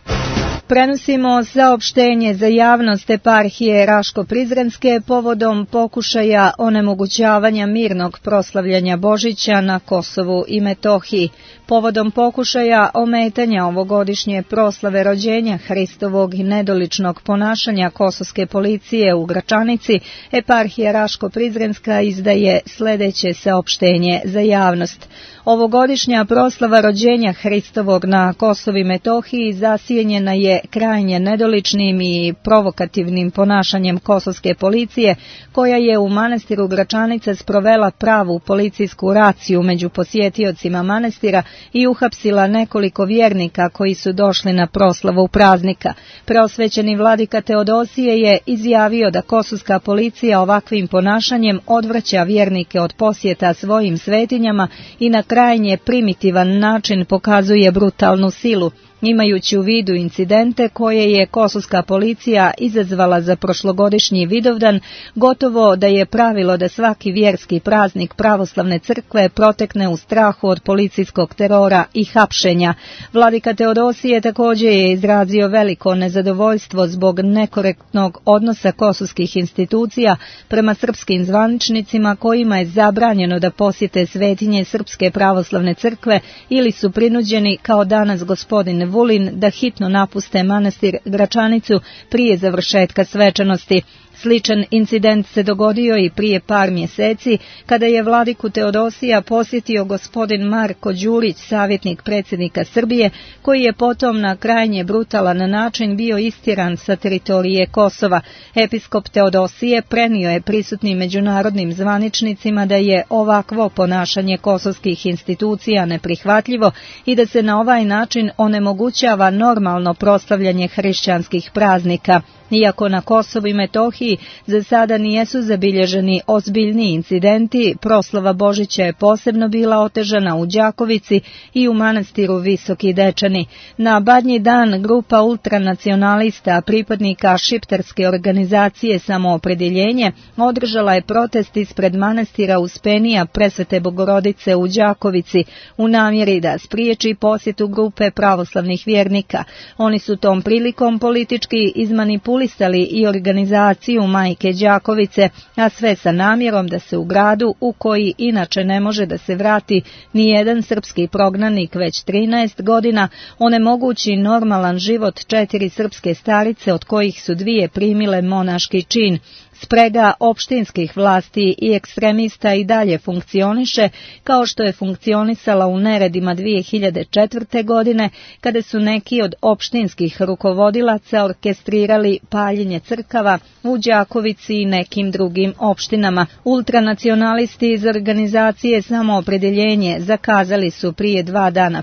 Prenosimo saopštenje za javnost eparhije Raško-Prizrenske povodom pokušaja onemogućavanja mirnog proslavljanja Božića na Kosovu i Metohiji. Povodom pokušaja ometanja ovogodišnje proslave rođenja Hristovog i nedoličnog ponašanja kosovske policije u Gračanici, eparhija Raško-Prizrenska izdaje sljedeće saopštenje za javnost. Ovogodišnja proslava rođenja Hristovog na Kosovu i Metohiji zasjenjena je krajnje nedoličnim i provokativnim ponašanjem kosovske policije, koja je u manastiru Gračanica sprovela pravu policijsku raciju među posjetiocima manastira i uhapsila nekoliko vjernika koji su došli na proslavu praznika. Preosvećeni vladika Teodosije je izjavio da kosovska policija ovakvim ponašanjem odvraća vjernike od posjeta svojim svetinjama i na krajnje primitivan način pokazuje brutalnu silu, imajući u vidu incidente koje je kosovska policija izazvala za prošlogodišnji Vidovdan. Gotovo da je pravilo da svaki vjerski praznik pravoslavne crkve protekne u strahu od policijskog terora i hapšenja. Vladika Teodosije također je izrazio veliko nezadovoljstvo zbog nekorektnog odnosa kosovskih institucija prema srpskim zvaničnicima kojima je zabranjeno da posjete svetinje Srpske pravoslavne crkve ili su prinuđeni, kao danas gospodin Vulin, da hitno napuste manastir Gračanicu prije završetka svečanosti. Sličan incident se dogodio i prije par mjeseci, kada je vladiku Teodosija posjetio gospodin Marko Đurić, savjetnik predsjednika Srbije, koji je potom na krajnje brutalan način bio istjeran sa teritorije Kosova. Episkop Teodosije prenio je prisutnim međunarodnim zvaničnicima da je ovakvo ponašanje kosovskih institucija neprihvatljivo i da se na ovaj način onemogućava normalno proslavljanje hrišćanskih praznika. Iako na Kosovu i Metohiji za sada nijesu zabilježeni ozbiljni incidenti, proslava Božića je posebno bila otežana u Đakovici i u manastiru Visoki Dečani. Na Badnji dan grupa ultranacionalista, pripadnika šiptarske organizacije Samoopredjeljenje, održala je protest ispred manastira Uspenija Presvete Bogorodice u Đakovici u namjeri da spriječi posjetu grupe pravoslavnih vjernika. Oni su tom prilikom politički izmanipulisali i organizaciju Majke Đakovice, a sve sa namjerom da se u gradu, u koji inače ne može da se vrati ni jedan srpski prognanik već 13 godina, onemogući normalan život 4 srpske starice, od kojih su 2 primile monaški čin. Sprega opštinskih vlasti i ekstremista i dalje funkcioniše, kao što je funkcionisala u neredima 2004. godine, kada su neki od opštinskih rukovodilaca orkestrirali paljenje crkava u Đakovici i nekim drugim opštinama. Ultranacionalisti iz organizacije Samoopredjeljenje zakazali su prije 2 dana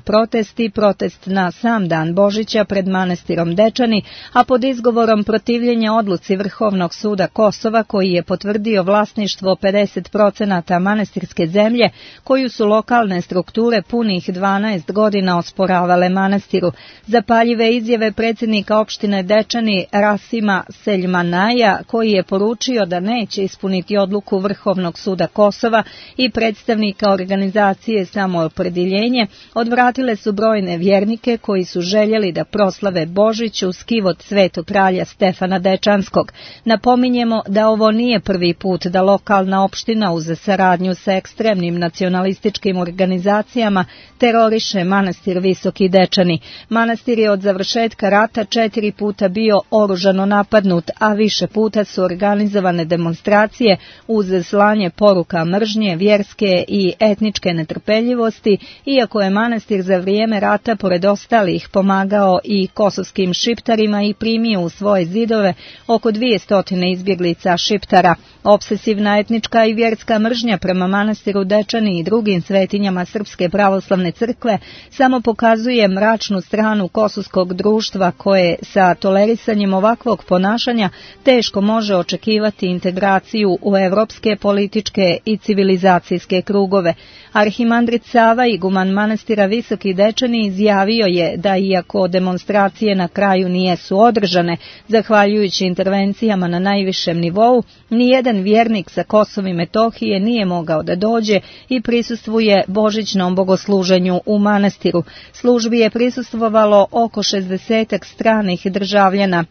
protest na sam dan Božića pred manastirom Dečani, a pod izgovorom protivljenja odluci Vrhovnog suda Kosova, koji je potvrdio vlasništvo 50% manastirske zemlje, koju su lokalne strukture punih 12 godina osporavale manastiru. Zapaljive izjave predsjednika opštine Dečani Rasima Seljmanaja, koji je poručio da neće ispuniti odluku Vrhovnog suda Kosova, i predstavnika organizacije Samoopredjeljenje, odvratile su brojne vjernike koji su željeli da proslave Božić uz kivot Svetog kralja Stefana Dečanskog. Napominjemo da ovo nije prvi put da lokalna opština uz saradnju sa ekstremnim nacionalističkim organizacijama teroriše manastir Visoki Dečani. Manastir je od završetka rata 4 puta bio oružano napadnut, a više puta su organizovane demonstracije uz slanje poruka mržnje, vjerske i etničke netrpeljivosti, iako je manastir za vrijeme rata pored ostalih pomagao i kosovskim šiptarima i primio u svoje zidove oko 200 izbjeglica šiptara. Obsesivna etnička i vjerska mržnja prema manastiru Dečani i drugim svetinjama Srpske pravoslavne crkve samo pokazuje mračnu stranu kosovskog društva, koje sa tolerisanjem ovakvog ponašanja teško može očekivati integraciju u evropske političke i civilizacijske krugove. Arhimandrit Sava, iguman manastira Visoki Dečani, izjavio je da iako demonstracije na kraju nijesu održane, zahvaljujući intervencijama na najvišem nivou, nijedan vjernik sa Kosova i Metohije nije mogao da dođe i prisustvuje božićnom bogosluženju u manastiru. Službi je prisustvovalo oko 60 stranih državljana.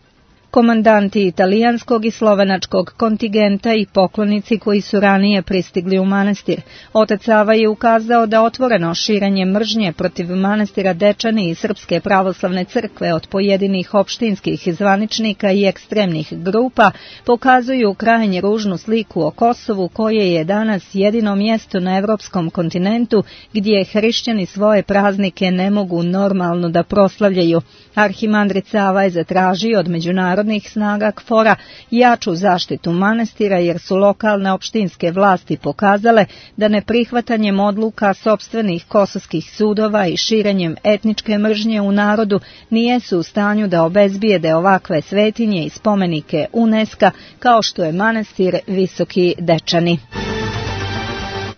komandanti italijanskog i slovenačkog kontingenta i poklonici koji su ranije pristigli u manastir. Otac Sava je ukazao da otvoreno širenje mržnje protiv manastira Dečani i Srpske pravoslavne crkve od pojedinih opštinskih zvaničnika i ekstremnih grupa pokazuju krajnje ružnu sliku o Kosovu, koje je danas jedino mjesto na evropskom kontinentu gdje hrišćani svoje praznike ne mogu normalno da proslavljaju. Arhimandrit Sava je zatražio od međunarodnih snaga KFOR-a jaču zaštitu manastira jer su lokalne opštinske vlasti pokazale da neprihvatanjem odluka sopstvenih kosovskih sudova i širenjem etničke mržnje u narodu nijesu u stanju da obezbijede ovakve svetinje i spomenike UNESCO kao što je manastir Visoki Dečani.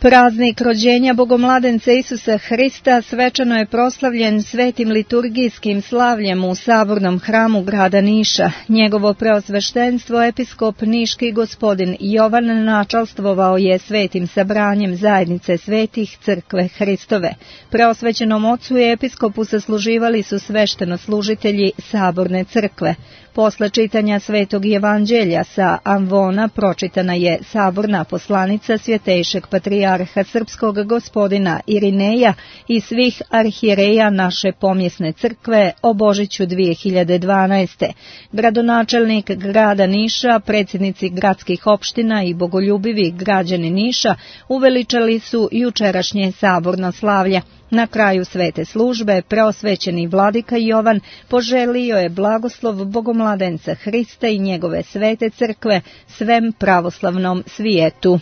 Praznik rođenja Bogomladenca Isusa Hrista svečano je proslavljen svetim liturgijskim slavljem u Sabornom hramu grada Niša. Njegovo preosveštenstvo episkop Niški gospodin Jovan načalstvovao je svetim sabranjem zajednice svetih crkve Hristove. Preosvećenom ocu i episkopu sasluživali su svešteno-služitelji Saborne crkve. Posle čitanja Svetog Evanđelja sa Amvona pročitana je saborna poslanica svjetejšeg patrijarha srpskog gospodina Irineja i svih arhijereja naše pomjesne crkve o Božiću 2012. Gradonačelnik grada Niša, predsjednici gradskih opština i bogoljubivi građani Niša uveličali su jučerašnje saborno slavlje. Na kraju svete službe preosvećeni vladika Jovan poželio je blagoslov Bogomladenca Hrista i njegove svete crkve svem pravoslavnom svijetu.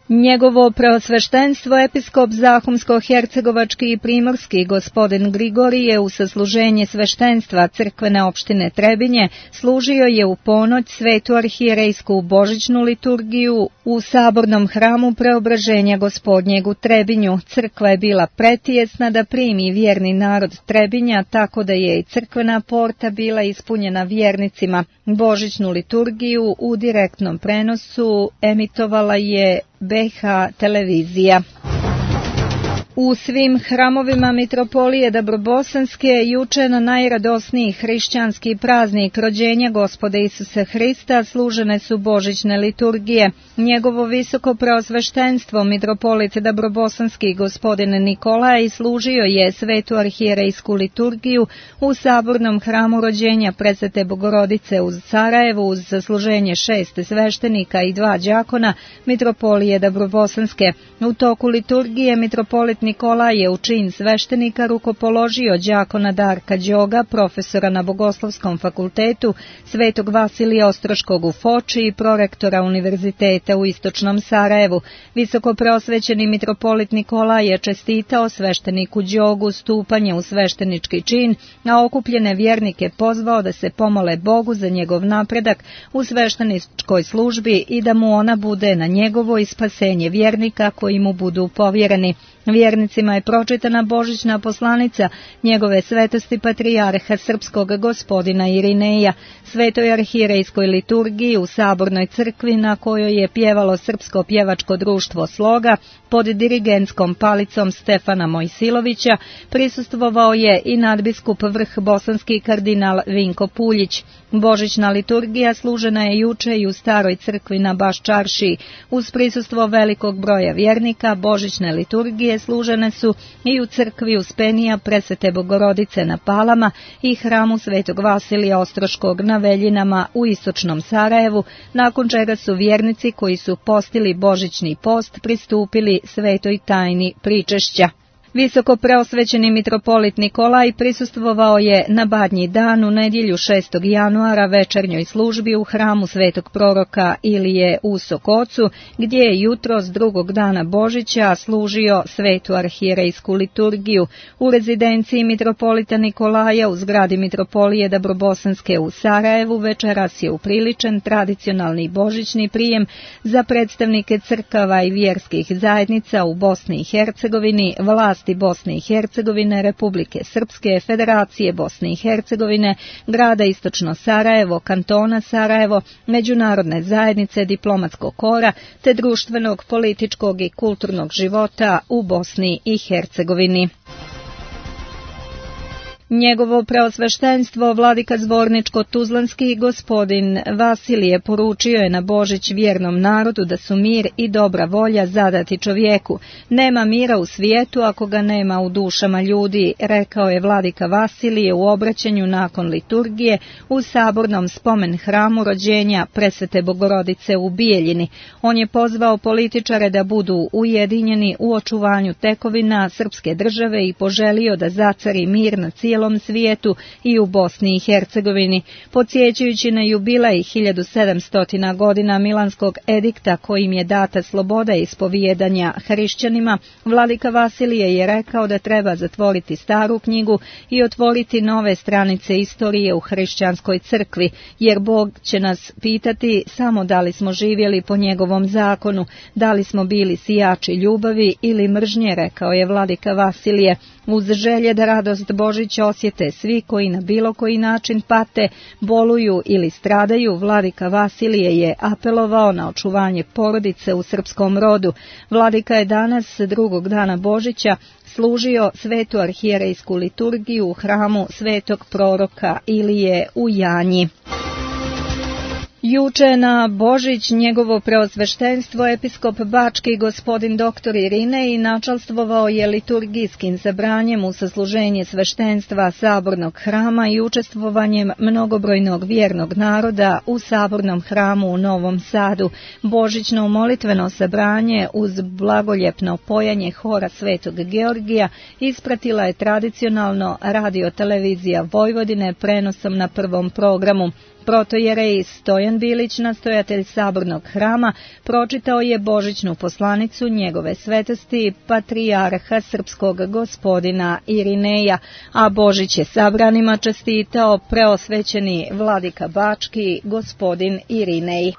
Njegovo preosveštenstvo episkop Zahumsko-hercegovački i primorski gospodin Grigorije u sasluženje sveštenstva crkvene opštine Trebinje služio je u ponoć svetu arhijerejsku božićnu liturgiju u Sabornom hramu Preobraženja Gospodnjeg u Trebinju. Crkva je bila pretijesna da primi vjerni narod Trebinja, tako da je i crkvena porta bila ispunjena vjernicima. Božićnu liturgiju u direktnom prenosu emitovala je BH televizija. U svim hramovima mitropolije Dabrobosanske juče na najradosniji hrišćanski praznik rođenja Gospoda Isusa Hrista služene su božićne liturgije. Njegovo visoko preosveštenstvo mitropolit Dabrobosanski gospodin Nikolaj služio je svetu arhijerejsku liturgiju u Sabornom hramu rođenja Presvete Bogorodice u Sarajevu uz zasluženje 6 sveštenika i 2 đakona mitropolije Dabrobosanske. U toku liturgije mitropolit Nikolaj je u čin sveštenika rukopoložio đakona Darka Đoga, profesora na Bogoslovskom fakultetu Svetog Vasilija Ostroškog u Foči i prorektora univerziteta u Istočnom Sarajevu. Visoko preosvećeni mitropolit Nikolaj je čestitao svešteniku Đogu stupanje u sveštenički čin, a okupljene vjernike pozvao da se pomole Bogu za njegov napredak u svešteničkoj službi i da mu ona bude na njegovo i spasenje vjernika koji mu budu povjereni. Vjernicima je pročitana božićna poslanica njegove svetosti patrijarha srpskog gospodina Irineja, svetoj arhijerejskoj liturgiji u Sabornoj crkvi na kojoj je pjevalo Srpsko pjevačko društvo Sloga pod dirigentskom palicom Stefana Mojsilovića, prisustvovao je i nadbiskup vrh bosanski kardinal Vinko Puljić. Božićna liturgija služena je juče i u Staroj crkvi na Baščaršiji. Uz prisustvo velikog broja vjernika, božićne liturgije služene su i u crkvi Uspenija Presvete Bogorodice na Palama i hramu Svetog Vasilija Ostroškog na Veljinama u Istočnom Sarajevu, nakon čega su vjernici koji su postili božićni post pristupili svetoj tajni pričešća. Visoko preosvećeni mitropolit Nikolaj prisustvovao je na Badnji dan u nedjelju 6. januara večernjoj službi u hramu svetog proroka Ilije u Sokocu, gdje je jutros drugog dana Božića služio svetu arhijerejsku liturgiju. U rezidenciji mitropolita Nikolaja u zgradi mitropolije Dabrobosanske u Sarajevu večeras je upriličen tradicionalni božićni prijem za predstavnike crkava i vjerskih zajednica u Bosni i Hercegovini, vlasti Bosne i Hercegovine, Republike Srpske, Federacije Bosne i Hercegovine, grada Istočno Sarajevo, kantona Sarajevo, međunarodne zajednice, diplomatskog kora, te društvenog, političkog i kulturnog života u Bosni i Hercegovini. Njegovo preosveštenstvo vladika Zvorničko-Tuzlanski gospodin Vasilije poručio je na Božić vjernom narodu da su mir i dobra volja zadati čovjeku. Nema mira u svijetu ako ga nema u dušama ljudi, rekao je vladika Vasilije u obraćanju nakon liturgije u sabornom spomen hramu rođenja Presvete Bogorodice u Bijeljini. On je pozvao političare da budu ujedinjeni u očuvanju tekovina srpske države i poželio da zacari mir na cijelom svijetu i u Bosni i Hercegovini. Podsjećajući na jubilej 1700 godina Milanskog edikta kojim je data sloboda ispovijedanja hrišćanima, vladika Vasilije je rekao da treba zatvoriti staru knjigu i otvoriti nove stranice istorije u hrišćanskoj crkvi, jer Bog će nas pitati samo da li smo živjeli po njegovom zakonu, da li smo bili sijači ljubavi ili mržnje, rekao je vladika Vasilije. Uz želje da radost Božića osjete svi koji na bilo koji način pate, boluju ili stradaju, vladika Vasilije je apelovao na očuvanje porodice u srpskom rodu. Vladika je danas, drugog dana Božića, služio svetu arhijerejsku liturgiju u hramu svetog proroka Ilije u Janji. Juče na Božić njegovo preosveštenstvo episkop Bački gospodin dr. Irinej načalstvovao je liturgijskim zabranjem u sasluženje sveštenstva sabornog hrama i učestvovanjem mnogobrojnog vjernog naroda u sabornom hramu u Novom Sadu. Božićno molitveno sabranje uz blagoljepno pojanje hora Svetog Georgija ispratila je tradicionalno radio-televizija Vojvodine prenosom na prvom programu. Protojerej Stojan Bilić, nastojatelj sabornog hrama, pročitao je božićnu poslanicu njegove svetosti patrijarha srpskog gospodina Irineja, a Božić je sabranima čestitao preosvećeni vladika Bački gospodin Irinej.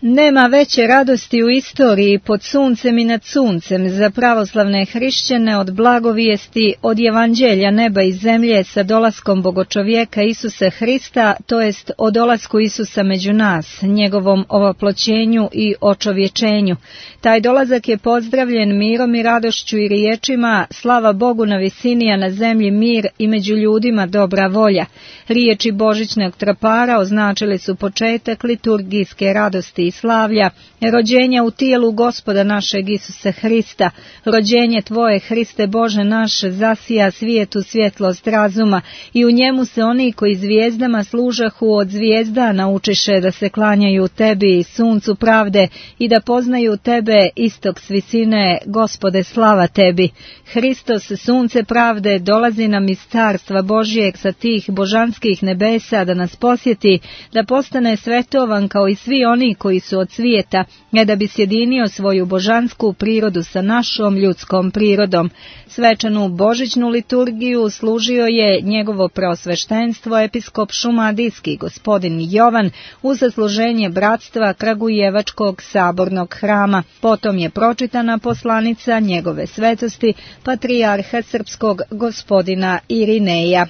Nema veće radosti u istoriji pod suncem i nad suncem za pravoslavne hrišćane od blagovijesti, od evanđelja neba i zemlje sa dolaskom bogočovjeka Isusa Hrista, to jest o dolasku Isusa među nas, njegovom ovoploćenju i očovječenju. Taj dolazak je pozdravljen mirom i radošću i riječima slava Bogu na visini, a na zemlji mir i među ljudima dobra volja. Riječi božićnog tropara označili su početak liturgijske radosti i slavlja, rođenja u tijelu Gospoda našeg Isusa Hrista. Rođenje Tvoje, Hriste Bože naš, zasija svijetu svjetlost razuma i u njemu se oni koji zvijezdama služahu od zvijezda naučiše da se klanjaju Tebi i suncu pravde i da poznaju Tebe istok s visine, Gospode slava Tebi. Hristos, sunce pravde, dolazi nam iz carstva Božijeg sa tih božanskih nebesa da nas posjeti, da postane svetovan kao i svi oni koji su od svijeta, ne da bi sjedinio svoju božansku prirodu sa našom ljudskom prirodom. Svečanu božićnu liturgiju služio je njegovo preosveštenstvo episkop Šumadijski gospodin Jovan u zasluženje bratstva Kragujevačkog sabornog hrama. Potom je pročitana poslanica njegove svetosti patrijarha srpskog gospodina Irineja.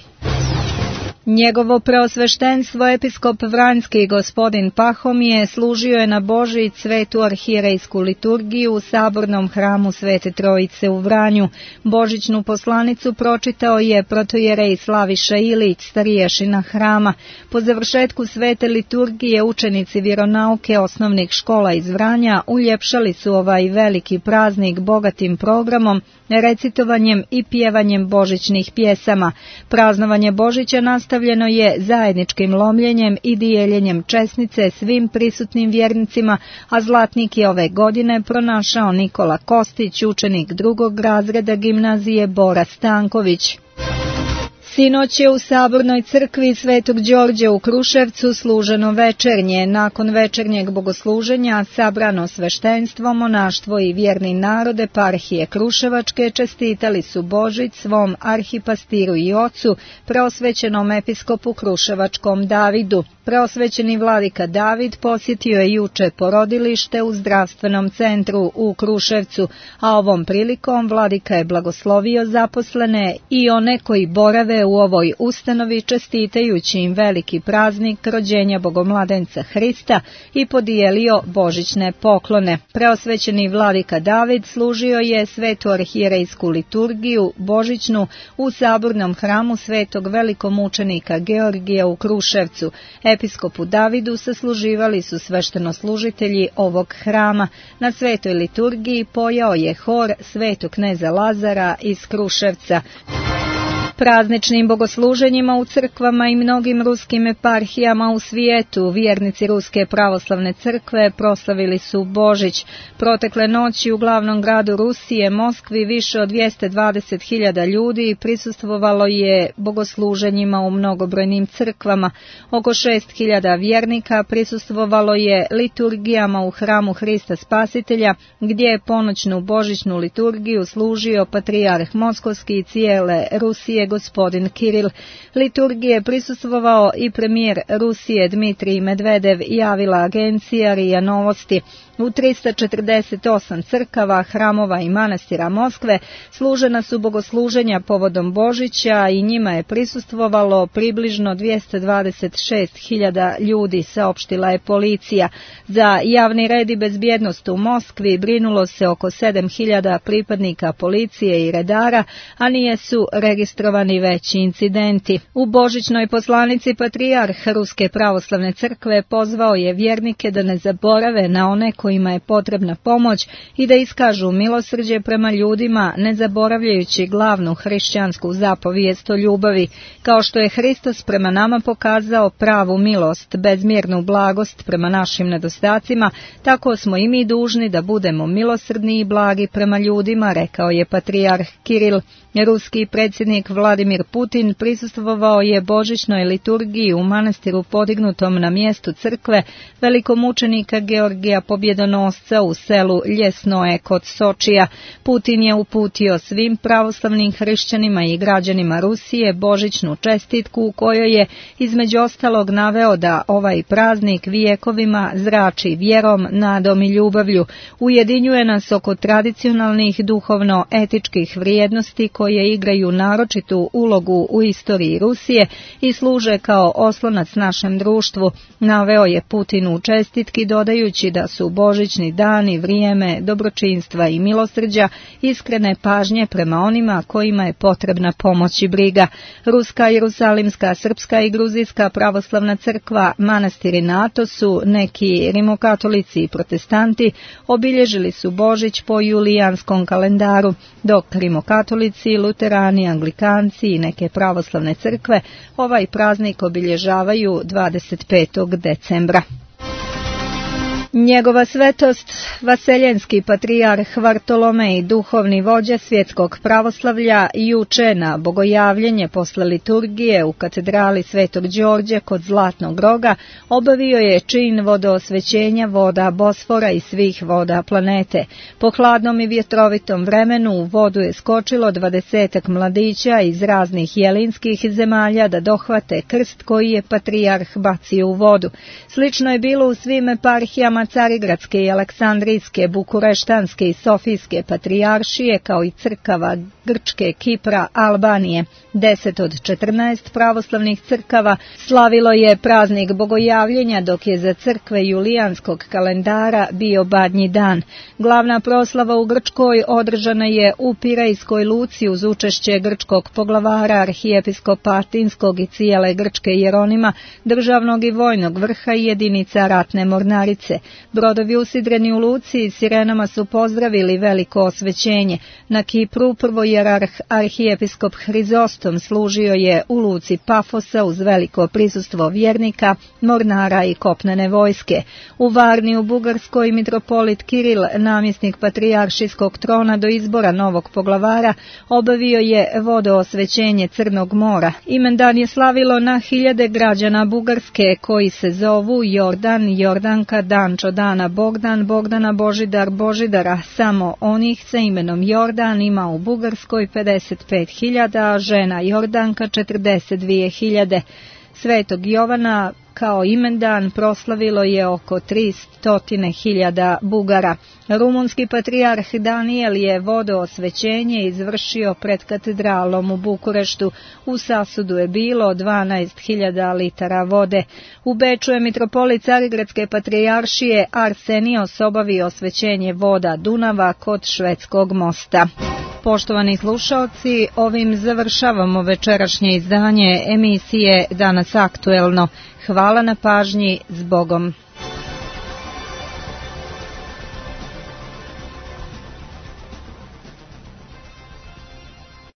Njegovo preosveštenstvo episkop Vranjski gospodin Pahomije služio je na Božić svetu arhijerejsku liturgiju u sabornom hramu Svete Trojice u Vranju. Božićnu poslanicu pročitao je protojerej Slaviša Ilić, stariješina hrama. Po završetku svete liturgije učenici vjeronauke osnovnih škola iz Vranja uljepšali su ovaj veliki praznik bogatim programom, recitovanjem i pjevanjem božićnih pjesama. Praznovanje Božića nastavljeno je zajedničkim lomljenjem i dijeljenjem česnice svim prisutnim vjernicima, a zlatnik je ove godine pronašao Nikola Kostić, učenik drugog razreda gimnazije Bora Stanković. Sinoć je u sabornoj crkvi Svetog Đorđa u Kruševcu služeno večernje. Nakon večernjeg bogosluženja sabrano sveštenstvo, monaštvo i vjerni narod eparhije Kruševačke čestitali su Božić svom arhipastiru i ocu, preosvećenom episkopu Kruševačkom Davidu. Preosvećeni vladika David posjetio je juče porodilište u zdravstvenom centru u Kruševcu, a ovom prilikom vladika je blagoslovio zaposlene i one koji borave se u ovoj ustanovi čestitajući im veliki praznik rođenja Bogomladenca Hrista i podijelio božićne poklone. Preosvećeni vladika David služio je svetu arhijerejsku liturgiju božićnu u sabornom hramu svetog velikomučenika Georgija u Kruševcu. Episkopu Davidu sasluživali su sveštenoslužitelji ovog hrama. Na svetoj liturgiji pojao je hor svetog kneza Lazara iz Kruševca. Prazničnim bogosluženjima u crkvama i mnogim ruskim eparhijama u svijetu vjernici Ruske pravoslavne crkve proslavili su Božić. Protekle noći u glavnom gradu Rusije, Moskvi, više od 220.000 ljudi prisustvovalo je bogosluženjima u mnogobrojnim crkvama. Oko 6.000 vjernika prisustvovalo je liturgijama u hramu Hrista Spasitelja, gdje je ponoćnu božićnu liturgiju služio patrijarh Moskovski i cijele Rusije gospodin Kiril. Liturgije prisustvovao i premijer Rusije Dmitrij Medvedev, javila agencija RIA Novosti. U 348 crkava, hramova i manastira Moskve služena su bogosluženja povodom Božića i njima je prisustvovalo približno 226.000 ljudi, saopštila je policija. Za javni red i bezbjednost u Moskvi brinulo se oko 7.000 pripadnika policije i redara, a nije su registrovani veći incidenti. U božićnoj poslanici patrijarh Ruske pravoslavne crkve pozvao je vjernike da ne zaborave na one kojima je potrebna pomoć i da iskažu milosrđe prema ljudima, ne zaboravljajući glavnu hrišćansku zapovijest o ljubavi. Kao što je Hristos prema nama pokazao pravu milost, bezmjernu blagost prema našim nedostacima, tako smo i mi dužni da budemo milosrdni i blagi prema ljudima, rekao je patrijarh Kiril. Ruski predsjednik Vladimir Putin prisustvovao je božićnoj liturgiji u manastiru podignutom na mjestu crkve velikomučenika Georgija Pobjedonosca u selu Ljesnoe kod Sočija. Putin je uputio svim pravoslavnim hrišćanima i građanima Rusije božićnu čestitku u kojoj je između ostalog naveo da ovaj praznik vijekovima zrači vjerom, nadom i ljubavlju. Ujedinjuje nas oko tradicionalnih duhovno-etičkih vrijednosti koje igraju naročitu ulogu u istoriji Rusije i služe kao oslonac našem društvu, naveo je Putin u čestitki dodajući da su božićni dani vrijeme dobročinstva i milosrđa, iskrene pažnje prema onima kojima je potrebna pomoć i briga. Ruska, Jerusalimska, Srpska i Gruzijska pravoslavna crkva, manastiri na Atosu, neki rimokatolici i protestanti obilježili su Božić po julijanskom kalendaru, dok rimokatolici, luterani, anglikanci i neke pravoslavne crkve ovaj praznik obilježavaju 25. decembra. Njegova svetost, vaseljenski patrijarh Vartolomej, duhovni vođa svjetskog pravoslavlja, juče na bogojavljenje posle liturgije u katedrali Svetog Đorđe kod Zlatnog roga obavio je čin vodoosvećenja voda Bosfora i svih voda planete. Po hladnom i vjetrovitom vremenu u vodu je skočilo 20 mladića iz raznih jelinskih zemalja da dohvate krst koji je patrijarh bacio u vodu. Slično je bilo u svim eparhijama Carigradske i Aleksandrijske, Bukureštanske i Sofijske patrijaršije, kao i crkava Grčke, Kipra, Albanije. 10 od 14 pravoslavnih crkava slavilo je praznik bogojavljenja, dok je za crkve julijanskog kalendara bio Badnji dan. Glavna proslava u Grčkoj održana je u Pirejskoj luci uz učešće grčkog poglavara, arhijepiskopa Atinskog i cijele Grčke Jeronima, državnog i vojnog vrha i jedinica ratne mornarice. Brodovi usidreni u luci i sirenama su pozdravili veliko osvećenje. Na Kipru prvojerarh arhijepiskop Hrizostom služio je u luci Pafosa uz veliko prisustvo vjernika, mornara i kopnene vojske. U Varni u Bugarskoj mitropolit Kiril, namjesnik patrijaršijskog trona do izbora novog poglavara, obavio je vodoosvećenje Crnog mora. Imendan je slavilo na hiljade građana Bugarske koji se zovu Jordan, Jordanka, Dančo, Dana, Bogdan, Bogdana, Božidar, Božidara. Samo onih sa imenom Jordan ima u Bugarskoj 55.000, a žena Jordanka 42.000. Svetog Jovana kao imendan proslavilo je oko 300.000 Bugara. Rumunski patrijarh Danijel je vodoosvećenje izvršio pred katedralom u Bukureštu. U sasudu je bilo 12.000 litara vode. U Beču je mitropolit Carigradske patrijaršije Arsenios obavio osvećenje voda Dunava kod Švedskog mosta. Poštovani slušaoci, ovim završavamo večerašnje izdanje emisije Danas aktuelno. Hvala na pažnji, s Bogom.